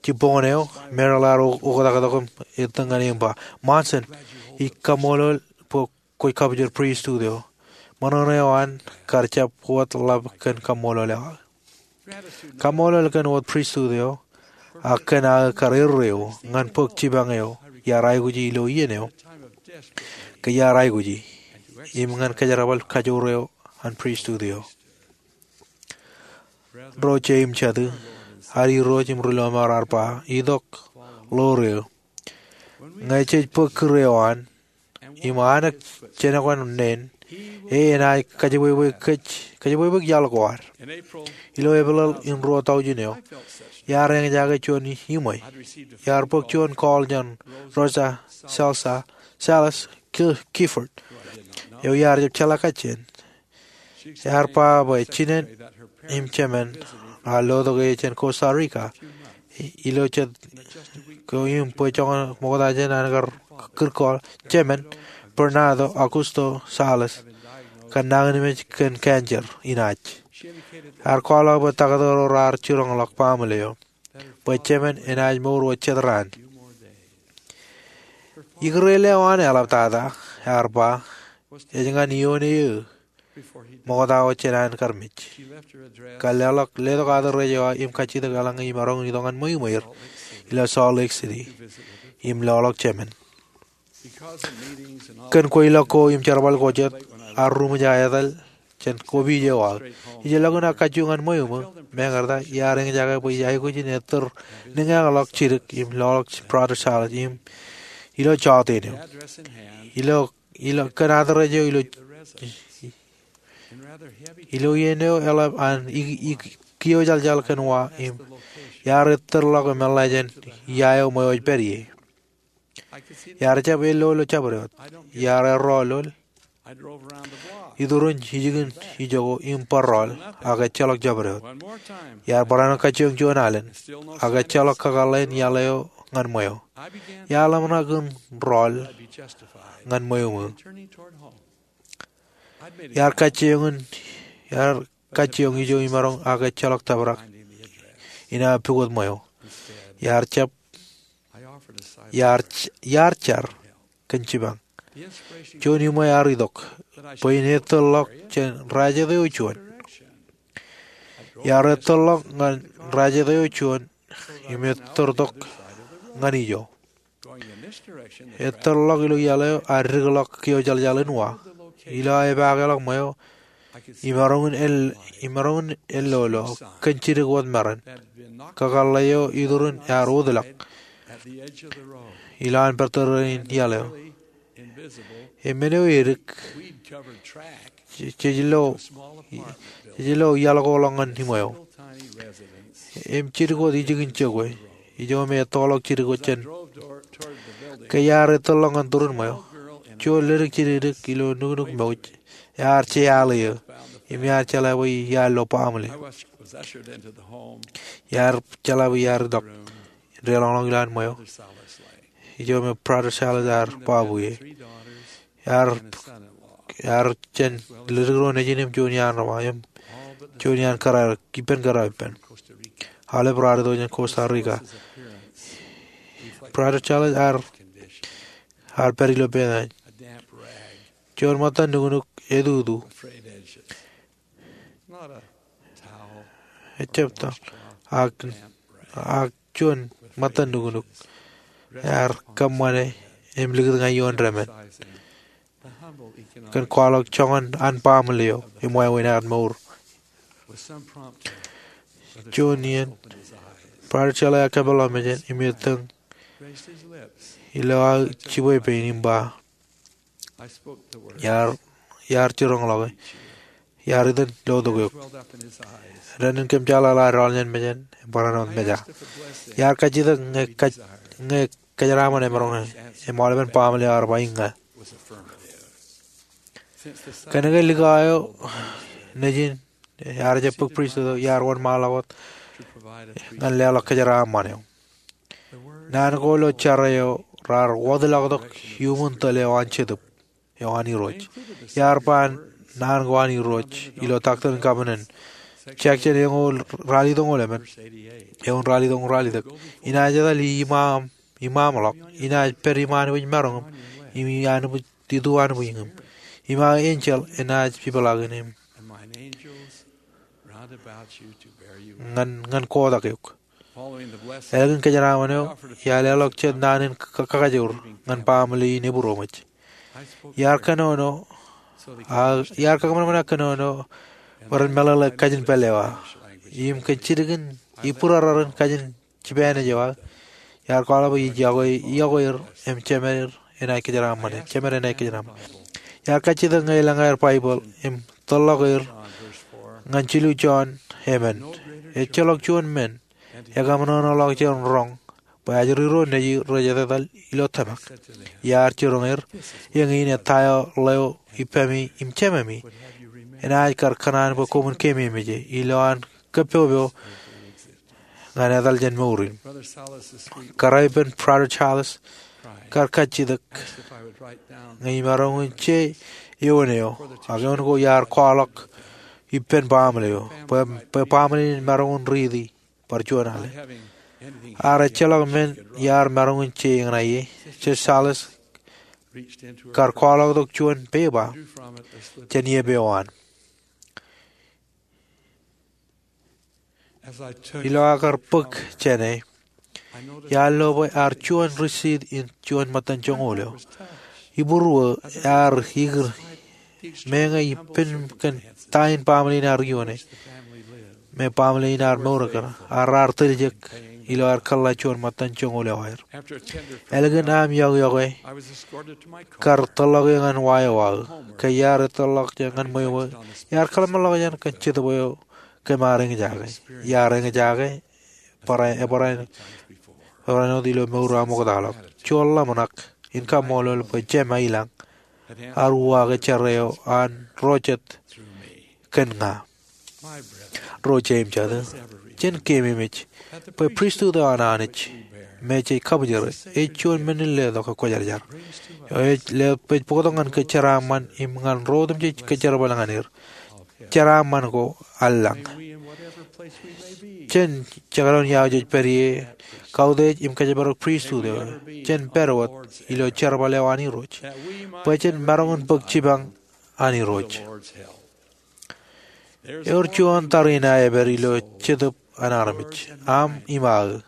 Jibboñōn eo, Merrill ear oktaktok im ettōñ ñan e im ba, "Monson, ij kaṃṃoolol bwe kwōj kabōjor pristut eo. Ṃōṇōṇō eo an kar jab wōt ḷap kōn kaṃṃoolol eo aō." Kaṃṃoolol kōn wōt pristut eo, ak kōn aō kar erreo ñan bōk jipañ eo iar aikuji ilo iien eo, ke iar aikuji, im ñan kōjerbal kajoor eo an pristut eo. Ro jeiū im jatū, ad irooj im ri lọmọọr ear ba, itok ḷoor eō. Ñe jej bōk kūr eo an im anōk jenōkwan neen, e enaaj kajebwebwe kōj, kajebwebwe iaḷ ko ad. Ilo Epeḷ in ruo tọujin eo, iar eñjake juon iṃwe. Iar bōk juon call jān Rosa Salsa, Salas Ki-, Gifford, eo iar jab jeḷā kajjien. Ear ba bwe jinen im jemān raar lotok e jān Costa Rica ilo jet ko im bwe joñan ṃokta jān an kar kūr call, jemān, Bernardo Augusto Salas, kar nañinmej kōn cancer in ash. Ear kwaḷọk bwe taktō ro raar jiroñḷọk baaṃle eo bwe jemān enaaj mour wōt jet raan. Ikūrel eo an eḷaptata, ear ba, ej ñan ioon eō ṃokta wōt jān an kar mej. Kar leḷọk, letok address eo aō im kajjitōk eḷaññe imaroñ in itok ñan ṃweiuṃweir ilo Salt Lake City im loḷọk jemān. Kōn kweilọk ko im jerbal ko jet, ear ruṃwij aō etal jān kopij eo aō. Ijellọkin aō kajjioñ ñan ṃweo, meñe ear eñjake bwe ij aikuj in ettōr niñeañḷọk jidik im loḷọk Brother Salas im ilo jọteen eo. Ilo, ilo kōn address eo ilo, ilo iien eo eḷap an i, i, kiojaljal kōn wa im iar ettōrḷọk im eḷḷā jān ia eo ṃweo ej pād ie. Iar jab ello ilo jabdewōt. Iar errọọl. Iturin ijin ijoko im barrọọl ak ejjeḷọk jabdewōt. Iar barāinwōt kajjioñ juon alen ak ejjeḷọk kakōḷḷe in iaḷ eo ñan ṃweo. Iar ḷōmṇak in rọọl ñan ṃweo. Iar kajjioñ in, iar kajjioñ ijo imaroñ ak ejjeḷọk tōprak in aō pukot ṃweo. Iar jab, iar, iar jar kōn jipañ. Juon iṃwe ear itok bwe in ettōrḷọk jān rajet eo juon. Iar ettōrḷọk ñan rajet eo juon im ettōrtok ñan ijo. Ettōrḷọk ilo iaḷ eo ear dikḷọk kiojaljal in wa. Ilo aō epaakḷọk ṃweo, imaroñ in el, imaroñ in ellolo kōn jidik wōt maroñ. Kakōḷḷe eo iturin ear wōtlọk ilowaan pād tōre in iaḷ eo. Im men eo edik, jej, jej lo, jej lo iaḷ ko ḷọk ñan iṃweo. Im jidik wōt ijin jokwe, ijo me ettoḷọk jidik wōt jān. Ke iar ettōrḷọk ñan turin ṃweo, juon ledik jidikdik ilo nuknuk mouj ear jeaḷ eō, im iar jeḷā bwe iar lo baaṃle. Iar jeḷā bwe iar itok deḷọñḷọk ilowaan ṃweo ijo me Brother Salas ear babu ie. Ear, ear jān ledik ro nejin im juon iaan reba im juon iaan kōrā, ippān kōrā ippān. Aolep raar itok jān Costa Rica. Brother Salas ear, ear pād ilo peeṇ. Juon ṃōttan nuknuk etutu. Ejjab tōl. Ak, ak juon ṃōttan nuknuk ear kōṃṃane im likūt ñan ioon demān kōn kwaḷọk joñan an baaṃle eo im wāween an mour. Juon iien, Brother Salas ear kōpeḷḷọk mejān im ettōñ ilo aō jibwe pein im ba, iar, iar jiroñḷọke. Iar iten lotok eok. Dān in kōmjeḷāḷọk ear eḷap jān mejān, barāinwōt meja. Iar kajjitōk ñe kaj, ñe kōjeraaṃṃan emaroñ e. Im aolepen baaṃle eo ear ba iññā. Kōnke likao eo nejin ear jab bōk pristut eo, iar wōnṃaanḷọk wōt ñan leḷọk kōjeraaṃṃan eo. Naan ko ilo jar eo raar wōtlọktok iuṃwin tōl eo an Jetōb eo an Irooj. Iar ba naan ko an Irooj ilo Doctrine and Covenants, section eñoul ralitōñoul emān, eoon ralitōñoul ralitōk. Inaaj etal iṃaaṃ, iṃaaṃḷọk, inaaj pād iṃaan bwe maroñ im, im iṃaan bwe itu anbwijñim. Im aō enjeḷ enaaj peḷaakin im ñan, ñan kotak eok. Ālikin kōjeraaṃṃan eo, iar leḷọk jet naan in ka-, kakajoor ñan baaṃle in ebūroṃōj. Iar kōnono, a, iar kōṃanṃan aō kōnono bwe ren meḷeḷe kajin pālle eo aō. Im kōn jidik in, ibūrōrōr in kajin Jipanis eo aō. Iar kwaḷọk bwe ij yokwe, yokwe er im jemed enaaj kōjeraaṃṃan. Jemed enaaj kōjeraaṃṃan. Iar kajjitōk ñe elōñ aer Baibōḷ im tōllọk er ñan jilu Jon emān. Ejjeḷọk juon men ekaṃōṇōṇōḷọk jān roñ bwe ajri ro neji rej etetal ilo tōmak. Iar jiroñ er, eñin etaer ḷeo ippemi im jememi enaaj kar kōṇaan bwe koṃwin keememej e ilo an kōppopop ñan etal jān mour in. Kōrā ippān Brother Charles kar kajjitōk ñe imaroñ in je eoon eo, ak eoon ko iar kwaḷọk ippān baaṃle eo, bwe, bwe baaṃle in maroñ in riiti bar juon ale. Ak ejjeḷọk men iar maroñ in je eñṇe ie, Judge Salas kar kwaḷọktok juon pepa jān iep eo an. Ilo aō kar bōk jāne, iar lo bwe ear juon risit in juon ṃōttan joñoul eo. Ibūruō ear ikūr meñe ippān kōn ta in baaṃle in ear ioone. Me baaṃle in ear mour kōn, ak raar tiljek ilo aer kōḷḷā juon ṃōttan joñoul eo aer. Ālikin aṃ iọkwe, kar tōllọk eō ñan wa eo aō. Ke iar etōllọk jān ñan ṃweo, iar kōḷmānḷọkjeṇ kōn Jetōb eo kōm ar eñjake. Iar eñjake barāinwōt, barāinwōt ilo mour eo aṃ oktaḷọk. Juon ḷōmṇak in kaṃṃoolol bwe jema ilañ ear uwaake jar eo an ro jet kōn ña. Ro jeiū im jatū, jen keememej bwe pristut eo an Anij me jej kabwijere ej juon men in letok ekwōjarjar. Ej le, ej bōktok ñan kōjeraaṃṃan im ñan ro otemjej kōjerbal ñan er. Jeraaṃṃan ko eḷḷañ. Jen jekdọọn ia jej pād ie, kautiej im kōjparok pristut eo, jen pād wōt ilo jerbal eo an Irooj, bwe jen maroñ in bōk jipañ an Irooj. Ewōr juon tariṇae ej pād ilo Jetōb an armej, aṃ im aō.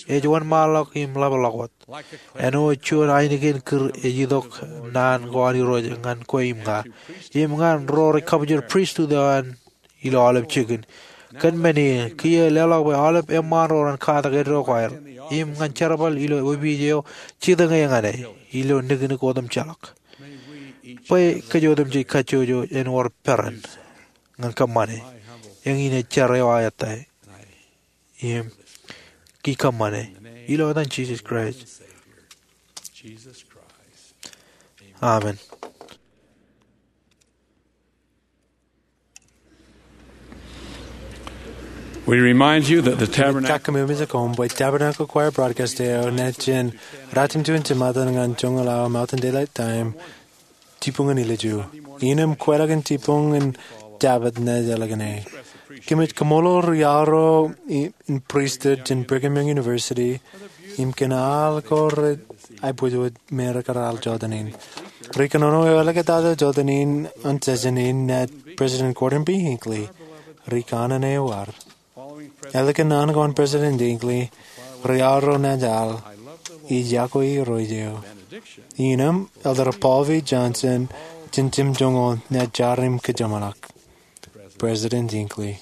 Ej wōnṃaanḷọk im ḷapḷọk wōt. Āinwōt juon ainikien kūr ej itok naan ko an Irooj ñan kwe im ña, im ñan ro rej kabwijin pristut eo an ilo aolep jikin. Kōn men in, kiiō leḷọk bwe aolep eṃṃaan ro ren katak eddo ko aer im ñan jerbal ilo opiij eo jitōñe ñan e ilo nikiniki otemjeḷọk. Bwe kōj otemjej kajjojo en wōr peran ñan kōṃṃane. Eñin ej jar eo aō ettā im kōṃṃane. Ilo etan Jisōs Kraist, amen. We remind you that the Tabernacle Kōmij kōm bwe Tabernacle Choir broadcast eo naaj jen ratimjuon jimatōn ñan joñoul awa Mountain Daylight Time, jibboñōn ilju. Innem kweilọk in jibboñ in Jabōt naaj ālikin e. Kōmij kaṃṃoolol ri-aorro i-, in pristut jān Brigham Young University im kōn al ko rej aibwōjwōj me rekar al jota in. Rikōnono eo āliktata jota in an session in naaj President Gordon B. Hinckley. Rikōnono eo ad. Ālikin an ko an President Hinckley, ri-aorro naaj al, Ij yokwe Irooj eo. Innem, Elder Paul V. Johnson jān jimjuon naaj jar im kōjeṃḷọk. President Hinckley.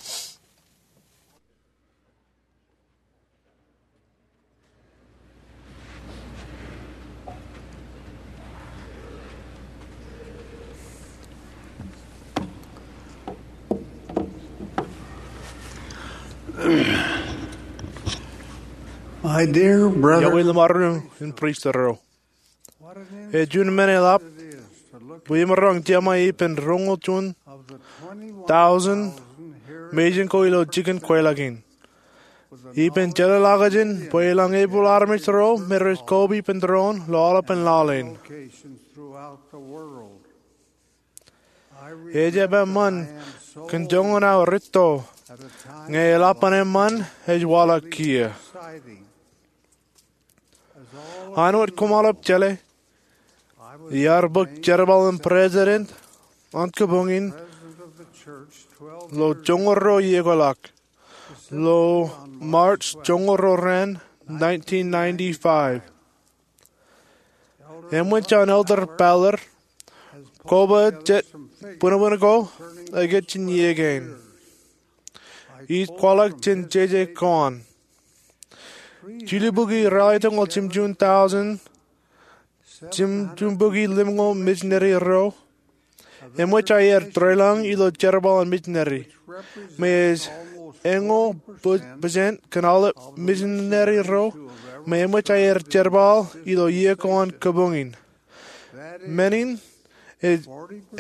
My dear brother, Iọkwe ḷōṃaro in pristut ro. Ej juon men eḷap bwe imaroñ jema ippān roñoul juon thousand mejān ko ilo jikin kweilọk in. Ippān jeḷāḷọkjeṇ bwe elōñ epul armej ro me rej koba ippān doon ilo aolepān laḷ in. Ejjab eṃṃan kōn joñan aō rūtto ñe eḷap an eṃṃan ej waḷọk kiiō. Āinwōt koṃ aolep jeḷā, iar bōk jerbal in president an kōbuñ in ilo joñoul ruo iiō ko ḷọk, ilo March joñoul ruo raan nineteen ninety-five. Eṃōj an Elder Ballard koba jet bwinbwin ko aō kajjitōk iiō kein. Ij kwaḷọk jān jeje ko an. Jilu bukwi ralitōñoul jimjuon tọujin, jimjuon bukwi limñoul mijineri ro, eṃōj aer deḷọñ ilo jerbal an mijineri, me ej eñoul pō-, pōsent kōn aolep mijineri ro, me eṃōj aer jerbal ilo iiō ko an kabuñ in. Men in ej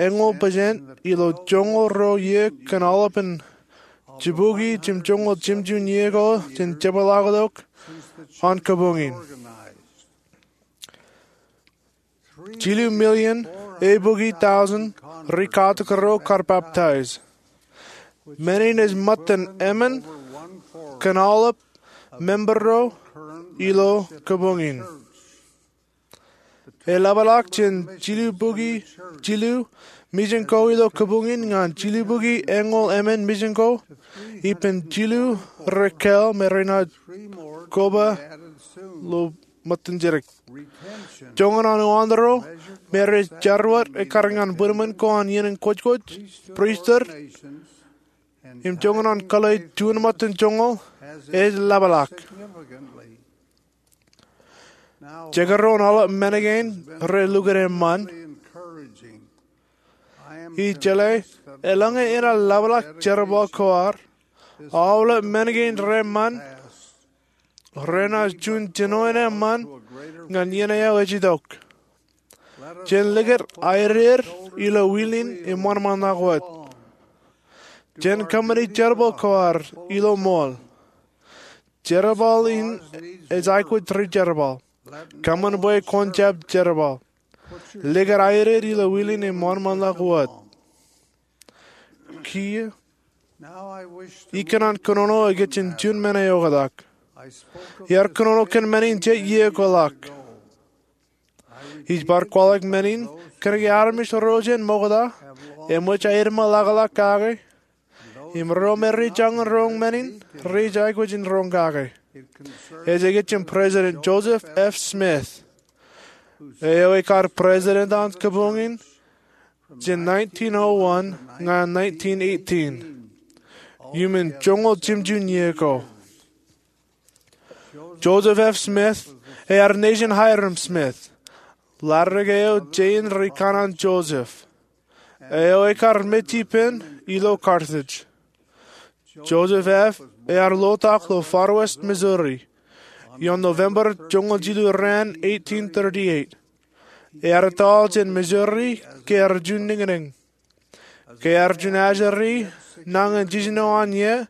eñoul pōsent ilo joñoul ruo iiō kōn aolepen jibukwi jimjuon joñoul jimjuon iiō ko jān jepḷaaktok an kabuñ in. Jilu million eibukwi tọujin rikatok ro kar peptaij. Men in ej ṃōttan emān kōn aolep member ro ilo kabuñ in. Eḷapḷọk jān jilu bukwi jilu mijen ko ilo kabuñ in ñan jilu bukwi eñoul emān mijen ko, ippān jilu rej kāāl me renaaj koba ilo ṃōttan jidik. Joñan an uwaanro me rej jarwōd ekkar ñan bwidmōn ko an iien in kwōjkwōj, pristut, im joñan an kōḷḷe juon ṃōttan joñoul ej eḷapḷọk. Jekdọọn aolep men kein rej lukkuun eṃṃan. Ij jeḷā eḷaññe enaaj eḷapḷọk jerbal ko ad, aolep men kein rej eṃṃan, renaaj juon jinoin eṃṃan ñan iien eo ej itok. Jen likūt aeded ilo wilin im wōnṃaanḷọk wōt. Jen kōṃṃani jerbal ko ad ilo ṃool. Jerbal in ej aikuj rijerbal. Kōṃṃan bwe kwōn jab jerbal. Likūt aeded ilo wilin im wōnṃaanḷọk wōt. Kiiō, ikōṇaan kōnono ikijjeen juon men eo oktak. Iar kōnono kōn men in jet iiō ko ḷọk. Ij bar kwaḷọk men in kōnke armej ro jān ṃokta eṃōj aer ṃōḷaḷḷọk kake, im ro me rej jañin roñ men in rej aikuj in roñ kake. Ej ikijjeen President Joseph F. Smith, eo ekar president an kabuñ in jān nineteen oh one ñan nineteen eighteen, iuṃwin joñoul jimjuon iiō ko. Joseph F. Smith ear nejin Hyrum Smith, ḷaddik eo jein ri kanaan Joseph, eo ekar mej ippān ilo Carthage. Joseph F. ear lotak ilo Far West, Missouri, ioon November joñoul jilu raan eighteen thirty-eight. Ear etal jān Missouri ke ear juon niñniñ. Ke ear juon ajri nañin jiljino an iiō,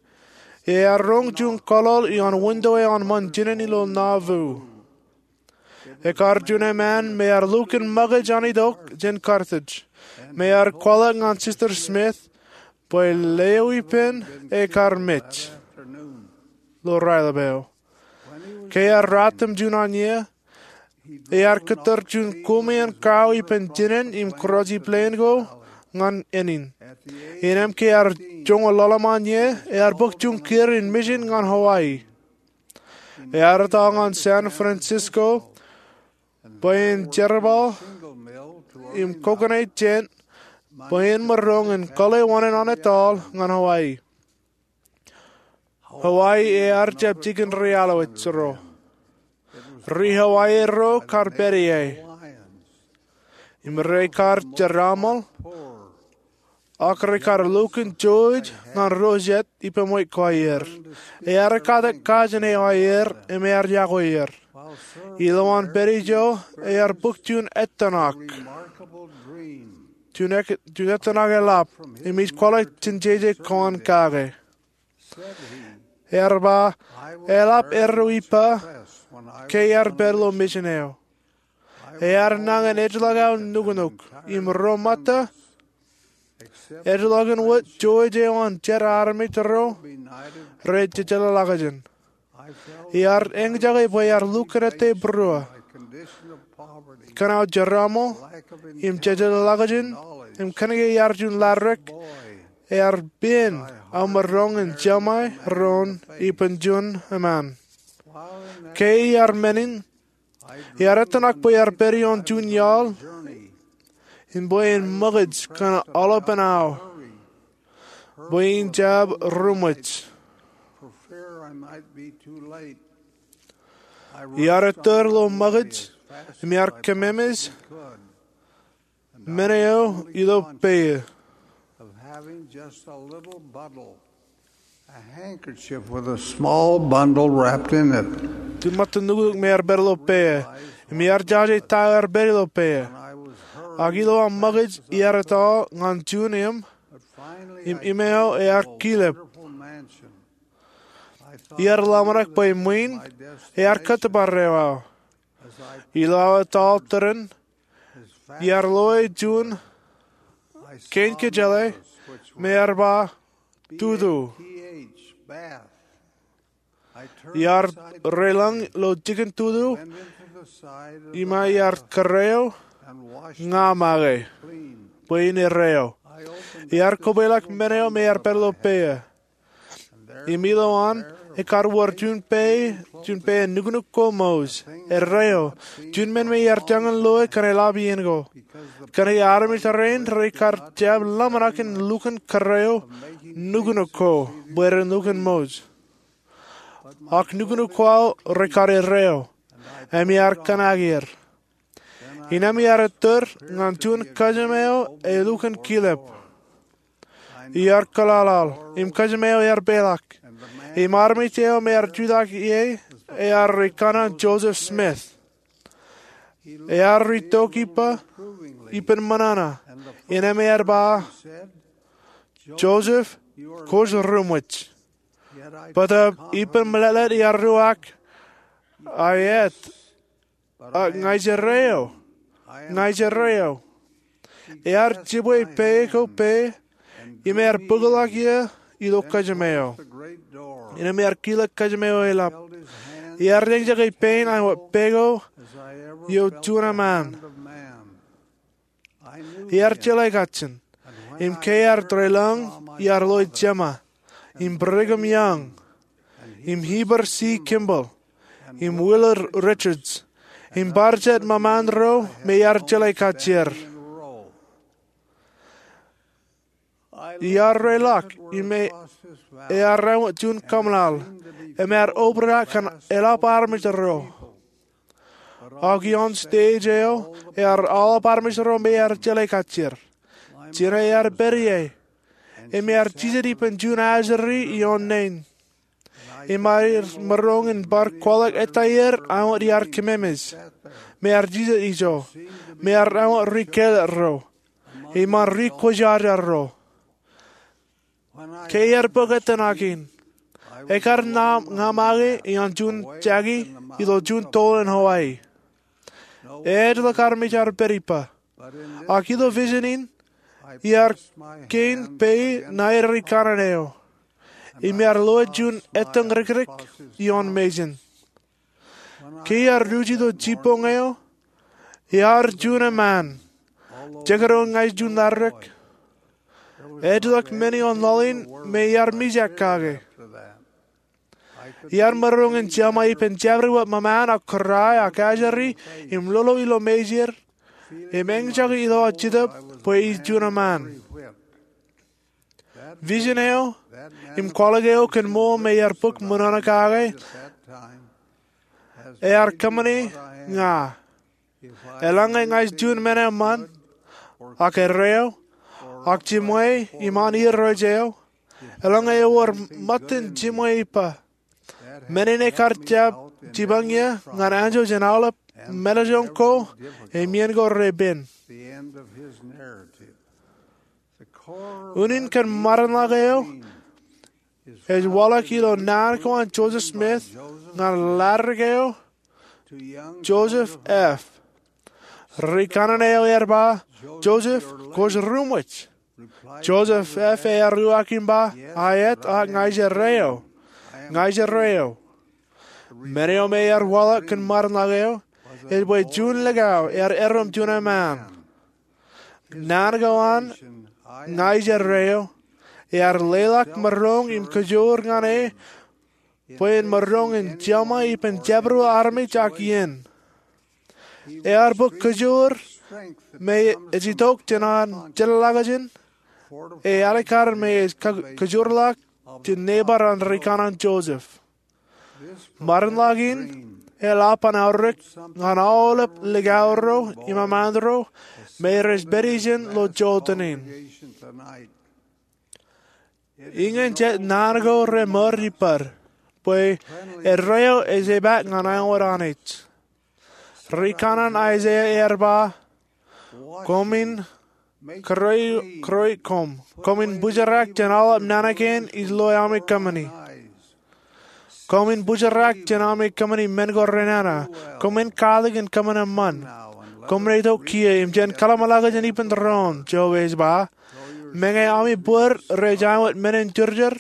ear roñ juon kōḷḷoḷ ioon winto eo an ṃōn jinen ilo Nauvoo. Ekar juon eṃṃan me ear lukkuun ṃōkaj an itok jān Carthage, me ear kwaḷọk ñan Sister Smith bwe leo ippān ekar mej ilo raelep eo. Ke ear ratimjuon an iiō, ear kōttar juon koṃeañ kau ippān jinen im kūrooj plane ko ñan ānin. Innām ke ear joñoul ḷalem an iiō, ear bōk juon kiir in mission ñan Hawaii. Ear etal ñan San Francisco bwe en jerbal im kokoṇe jān bwe en maroñ in kōḷḷe wōṇāān an etal ñan Hawaii. Hawaii ear jab jikin ri-aolep ro. Ri-Hawaii ro kar pād ie. Im rekar jeraaṃṃul, ak rekar lukkuun jouj ñan ro jet ippān ṃweiuk ko aer. Ear katak kajin eo aer im ear yokwe er. Ilowaan pād ijo ear bōk juon ettōṇak. Juon ek-, juon ettōṇak eḷap, im ij kwaḷọk jān jeje ko an kake. Ear ba, eḷap erro ippa ke ear pād ilo mission eo. Ear nañin ejjeḷọk aō nuknuk, im ro ṃōtta, ejjeḷọkin wōt jouj eo an jet armej ro rej jejeḷāḷọkjeṇ. Iar eñjake bwe ear lukkuun ettā būruō kōn aō jeraaṃṃul im jejeḷāḷọkjeṇ, im kōnke iar juon laḷ dik, ear pen aō maroñ in jeṃae doon ippān juon eṃṃan. Ke iar men in, iar ettōṇak bwe iar pād ioon juon iaḷ in bwe en ṃōkaj kōn aolepān aō bwe in jab ruṃwij. Iar ettōr ilo ṃōkaj im iar kememej men eo ilo peiō. Ti ṃōttan nuknuk me ear pād ilo peiō im iar jaje ta eo ear pād ilo peiō. Ak ilo aṃ ṃōkaj iar etto ñan juon im, im im eo ear kilep. Iar ḷōmṇak bwe ṃwiin ear kōttōpar eo aō. Ilo aō etto tōren, iar loe juon kein kōjeḷā me ear ba tutu. Iar reilōñ ilo jikin tutu im iar kōrā eo, ña make bwe in erreo. Iar kobwelọk men eo me ear pād ilo peiō. Im ilowaan, ekar wōr juon peiō, juon peiō nuknuk ko ṃooj, erreo, juon men me iar jañin loe kōn eḷap iien ko. Kōn ke armej rein rekar jab ḷōmṇak in lukkuun kōrā eo nuknuk ko bwe ren lukkuun ṃooj. Ak nuknuk ko aō rekar erreo, im iar kōṇaan er. Innām iar ettōr ñan juon kajima eo elukkuun kilep. Iar kōḷaḷaḷ, im kajima eo ear peḷḷọk. Im armej eo me ear jutak ie ear ri kaṇe Joseph Smith. Ear ri tok ippa ippān ṃōṇōṇō, innām ear ba, Joseph, kwōj ruṃwij. Bōtab ippān meḷeḷe iar ruwak, aet, ak ña ij erreo. Ña ij erreo. Ear jibwe peiō ko peiō, im ear bōkḷọk ie ilo kajima eo. Innām ear kilōk kajima eo eḷap. Ear eñjake pein an wōt peiō ko eo juon eṃṃaan. Ear jeḷā kajjien. Im ke ear deḷọñ, ear loe Jema, im Brigham Young, im Heber C. Kimball, im Willard Richards, im bar jet ṃōṃaan ro me ear jeḷā kajjier. Iar reḷọk im ear ro juon kōmeḷeḷe, im ear obrak kōn eḷap armej ro. Ak ioon stage eo, ear aolep armej ro me ear jeḷā kajjier. Jino ear pād ie, im ear jijet ippān juon ajri ioon naan. Im ear maroñ in bar kwaḷọk ettā er an wōt iar kememej, me ear jijet ijo, me ear an wōt ri kāālōt ro, im an ri kwōjarjar ro. Ke ear bōk ettā ṇa kein, ekar ṇa ña make ioon juon jaki ilo juon toḷ in Hawaii. Ejjeḷọk armej ear pād ippa. Ak ilo vision in, iar kein peiō ṇae ri kaṇe eo, im iar loe juon ettōñ rikrik ioon mejān. Ke iar ruj ilo jibboñ eo, ear juon eṃṃaan. Jekdọọn ña ij juon laḷ rik, ejjeḷọk men ioon laḷ in me iar mijak kake. Iar maroñ in jeṃa ippān jabdewōt ṃōṃaan ak kōrā ak ajri im lolo ilo mejān, im eñjake ilo aō jetōb bwe ij juon eṃṃaan. Vision eo, im kwaḷọk eo kōn ṃool me iar bōk ṃōṇōṇō kake, ear kōṃṃane ña. Eḷaññe ña ij juon men eṃṃaan, ak erreo, ak jiṃwe iṃaan irooj eo, eḷaññe ewōr ṃōttan jiṃwe ippa, men in ekar jab jipañ ie ñan anjọ jān aolep mālejjoñ ko im iien ko repen. Unin kōn ṃaanḷọk eo ej waḷọk ilo naan ko an Joseph Smith ñan laḷ rik eo, Joseph F. Ri kaṇe eo ear ba, Joseph, kwōj ruṃwij. Joseph F. ear uwaak im ba, aet, ak ña ij erreo. Ña ij erreo. Men eo me ear waḷọk kōn ṃaanḷọk eo ej bwe juon likao ear erom juon eṃṃaan. Naan ko an ña ij erreo ear leḷọk maroñ im kajoor ñan e bwe en maroñ in jeṃa ippān jabdewōt armej ak iien. Ear bōk kajoor me ej itok jān an jeḷāḷọkjeṇ, e alikkar me ej ka-, kajoorḷọk jān nebar an ri kaṇe Joseph. Ṃaanḷọk in eḷap an aorōk ñan aolep likao ro im eṃṃaan ro me rej pād ijeṇ ilo jota in. Iñin jet naan ko remour ippaad bwe erreo ej jab ñan āinwōt Anij. Ri kanaan Aiseia ear ba, koṃwin kūroi, kūroi koṃ. Koṃwin bōjrak jān aolep naan kein ij loe ami kōṃṃani. Koṃwin bōjrak jān ami kōṃṃani men ko renana. Koṃwin katak in kōṃṃan eṃṃan. Koṃwin itok kiiō im jen kōḷmānḷọkjeṇ ippān doon, Jeova ej ba. Meñe ami bōd rej āinwōt men in jerjer,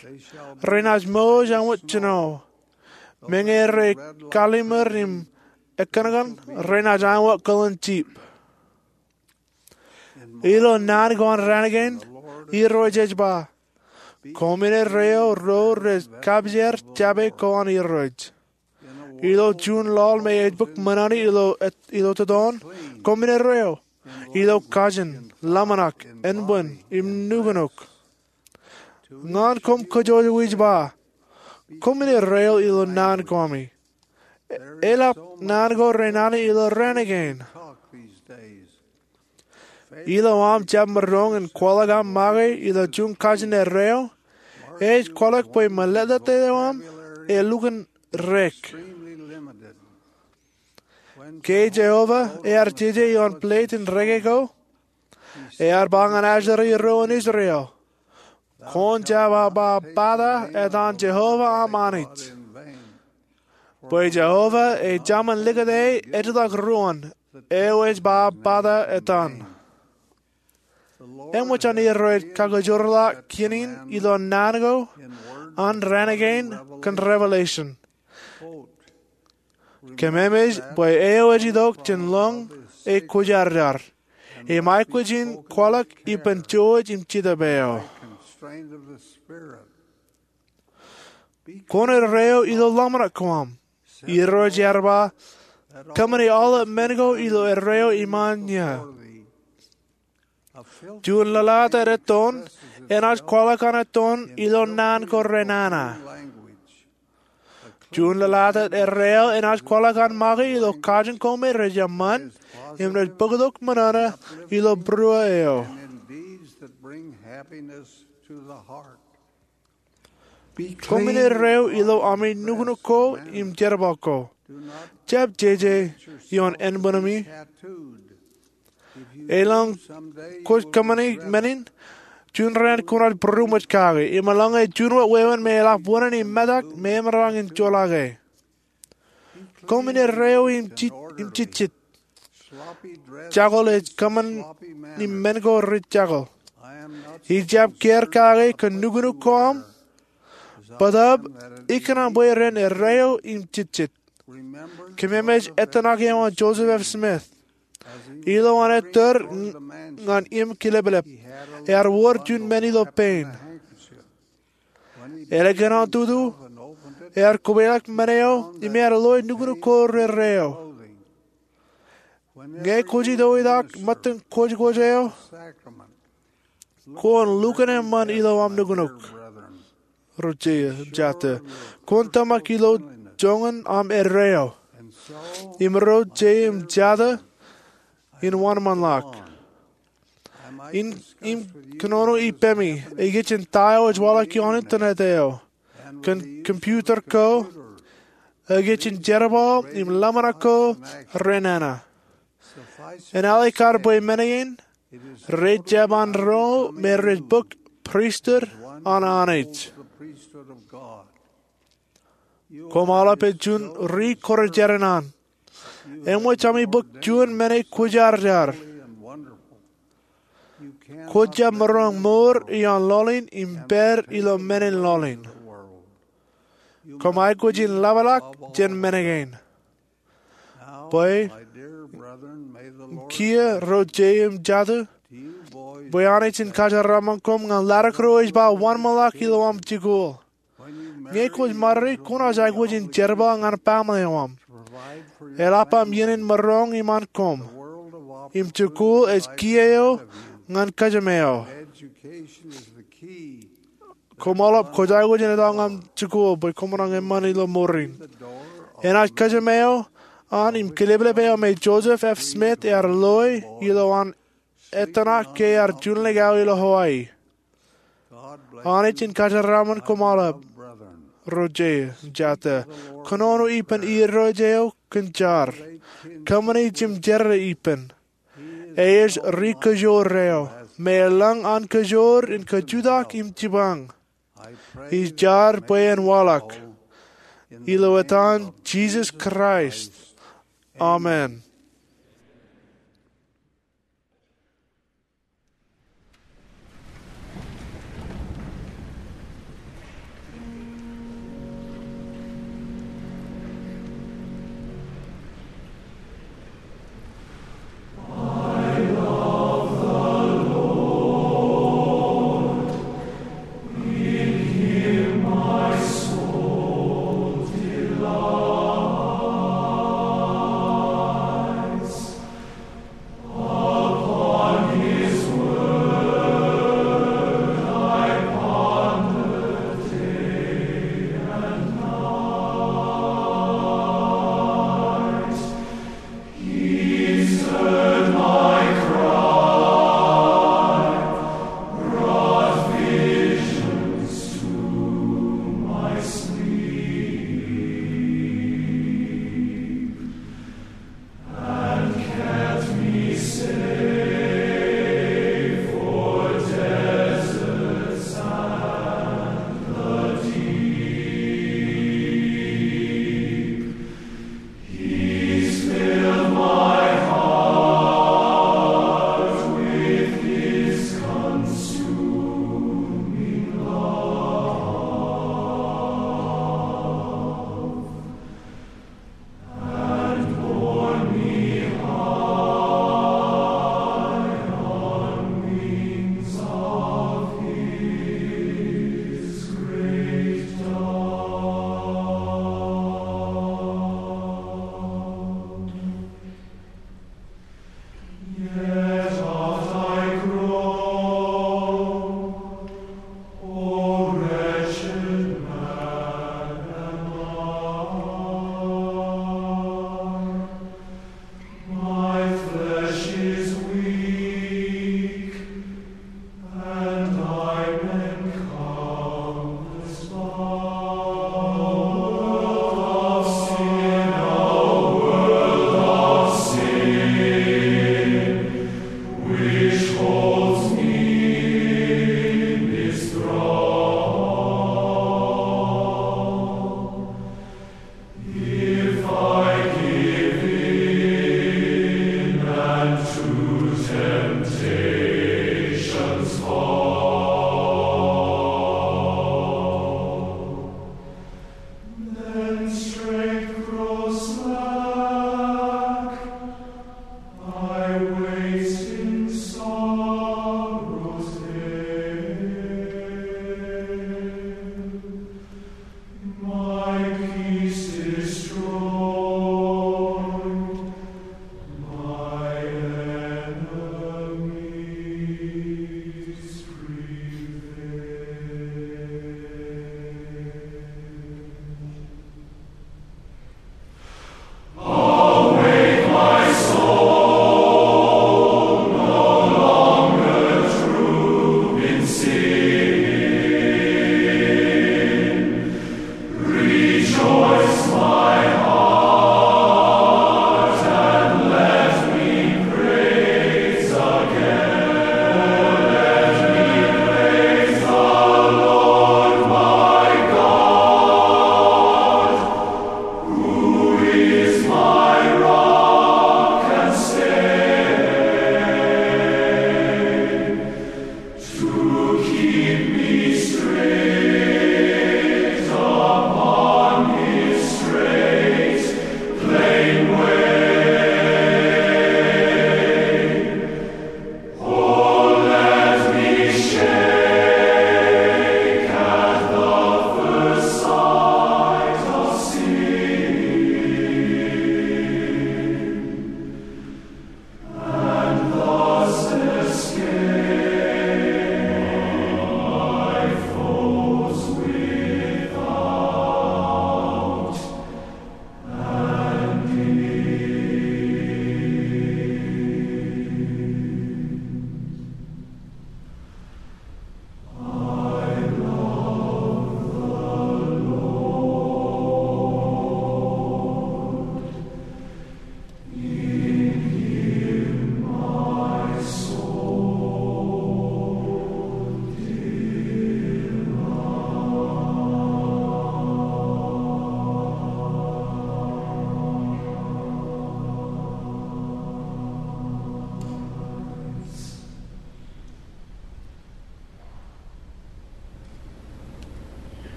renaaj mour āinwōt jino. Meñe rej kallimur im ekōṇakōṇ, renaaj āinwōt kōḷan jip. Ilo naan ko an raan kein, Irooj ej ba, koṃwin erreo ro rej kapijer jape ko an Irooj. Ilo juon laḷ me ej bōk ṃōṇōṇō ilo, ilo totoon, koṃwin erreo ilo kajin, ḷōmṇak, enbwin, im nuknuk. Ñan koṃ kōjwōj ij ba, koṃwin erreo ilo naan ko ami. Eḷap naan ko renana ilo raan kein. Ilo aṃ jab maroñ in kwaḷọk aṃ make ilo juon kajin erreo, ej kwaḷọk bwe mālōtlōt eo aṃ elukkuun rek. Ke Jeova ear jeje ioon plate in reke ko, ear ba ñan Asher ro an Israel, kwōn jab ba bata etan Jeova aṃ Anij. Bwe Jeova ej Amen likūt e ejjeḷọk ruōn eo ej ba bata etan. Eṃōj an Irooj kakajoorḷọk kien in ilo naan ko an raan kein kōn Revelation. Kōmemej bwe eo ej itok jān lōñ ej kwōjarjar, im aikuj in kwaḷọk ippān jouj im jetōb eo. Kwōn erreo ilo ḷōmṇak ko aṃ. Irooj ear ba, kōṃṃani aolep men ko ilo erreo iṃaan ie. Juon lōḷātāt ettoon enaaj kwaḷọk an ettoon ilo naan ko renana. Juon lōḷātāt erreo enaaj kwaḷọk an make ilo kajin ko me rej eṃṃan im rej bōktok ṃōṇōṇō ilo būruō eo. Koṃwin erreo ilo ami nuknuk ko im jerbal ko. Jab jeje ioon enbwinemi. Elōñ kwōj kōṃṃani men in, juon raan kwōnaaj būroṃōj kake. Im eḷaññe juon wāween me eḷap wōṇāān im metak, memaroñ in joḷọke. Koṃwin erreo im jejjet. Jakōḷ ej kōṃṃani men ko rej jakōḷ. Ij jab kiiō kake kōn nuknuk ko aṃ, bōtaab ikōṇaan bwe ren erreo im jejjet. Kōmemej ettōṇak eo an Joseph F. Smith. Ilo an ettōr ñan im kileplep, ear wōr juon men ilo pein. Eḷap kōn an tutu, ear kobwelọk men eo im ear loe nuknuk ko rerreo. Ñe kwōj itok ḷọk ṃōttan kwōjkwōj eo, kwōn lukkuun eṃṃan ilo aṃ nuknuk. Ro jeiū im jatū, kwōn tōmak ilo joñan aṃ erreo. Im ro jeiū im jatū, in wōnṃaanḷọk. In, im kōnono ippemi, ej kajjitōk ta eo ej waḷọk ioon internet eo, kōn computer ko, ej kajjitōk jerbal im ḷōmṇak ko renana. Enaaj kar bwe men in, rej jab an ro me rej bōk pristut an Anij. Koṃ aolep ej juon ri kwōjarjar an. Eṃōj ami bōk juon men eo kwōjarjar. Kwōj jab maroñ mour ioon laḷ in im pād ilo men in laḷ in. Koṃ aikuj in ḷapḷọk jān men kein. Bwe, kiiō ro jeiū im jatū, bwe Anij en kōjeraṃṃan koṃ ñan ḷadik ro ej ba wōnṃaanḷọk ilo aṃ jikuuḷ. Ñe kwōj ṃare, kwōnaaj aikuj in jerbal ñan baaṃle eo aṃ. Eḷap aṃ iien in maroñ iṃaan koṃ. Im jikuuḷ ej kiiō eo ñan kōjām eo. Koṃ aolep kwōj aikuj in etto ñan jikuuḷ bwe koṃ maroñ eṃṃan ilo mour in. Enaaj kōjām eo an im kileplep eo me Joseph F. Smith ear loe ilo an ettōṇak ke ear juunḷọk aō ilo Hawaii. Anij en kōjeraaṃṃan koṃ aolep, Roger Jata. Kōnono ippān irooj eo kōn jar. Kōṃṃani jimjerā ippān. Ej ri-kōjoor eo me eḷaññe an kōjoor in kajutak im jipañ. Ij jar bwe en waḷọk. Ilo etan Jisōs Kraist, amen.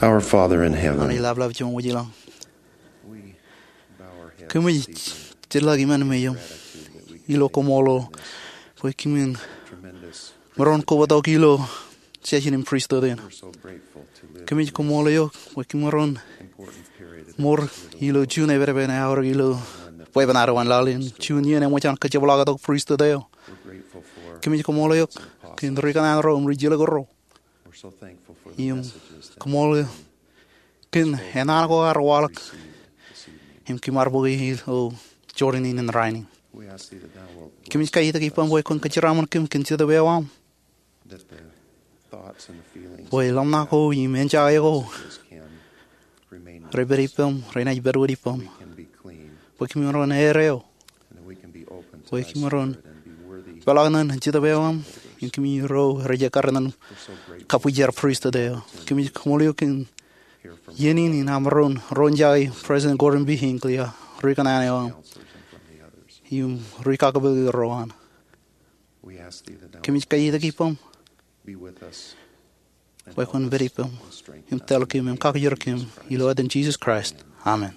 Our Father in heaven, Amen. Laplap Jemām wōj ilañ. Kōmij jitḷọk iṃaan eo ilo koṃṃool eo bwe kōmin maroñ kobatok ilo session in pristut in. Kōmij koṃṃool eok bwe kōmaroñ mour ilo juon epepen aorōk ilo bwebwenato an laḷ in, juon iien eṃōj an kajepḷaaktok pristut eo. Kōmij koṃṃool eok kōn ri kanaan ro im ri jilkinro. Im koṃṃool kōn eṇ an ko ear waḷọk im kōm ar bōke ilo Jordan in rainin. Kōmij kaitikitik ippaṃ bwe kwōn kōjeraaṃṃan kōm kōn Jetōb eo aṃ, bwe ḷōmṇak ko im enjake ko rej pād ippaṃ, renaaj pād wōt ippaṃ, bwe kōm maroñ eor eō, bwe kōm maroñ peḷḷọk ñan Jetōb eo aṃ, im kōmij ro rej ekkar ñan kabwijer pristut eo. Kōmij koṃṃool eok kōn iien in im aṃ maroñ ro jake President Gordon B. Hinckley, ri kanaan eo aṃ, im ri kakōpooki ro an. Kōmij kaitikitik ippaṃ bwe kwōn pād ippaṃ im tōl kōm im kakijer kōm, ilo etan Jisōs Kraist, amen.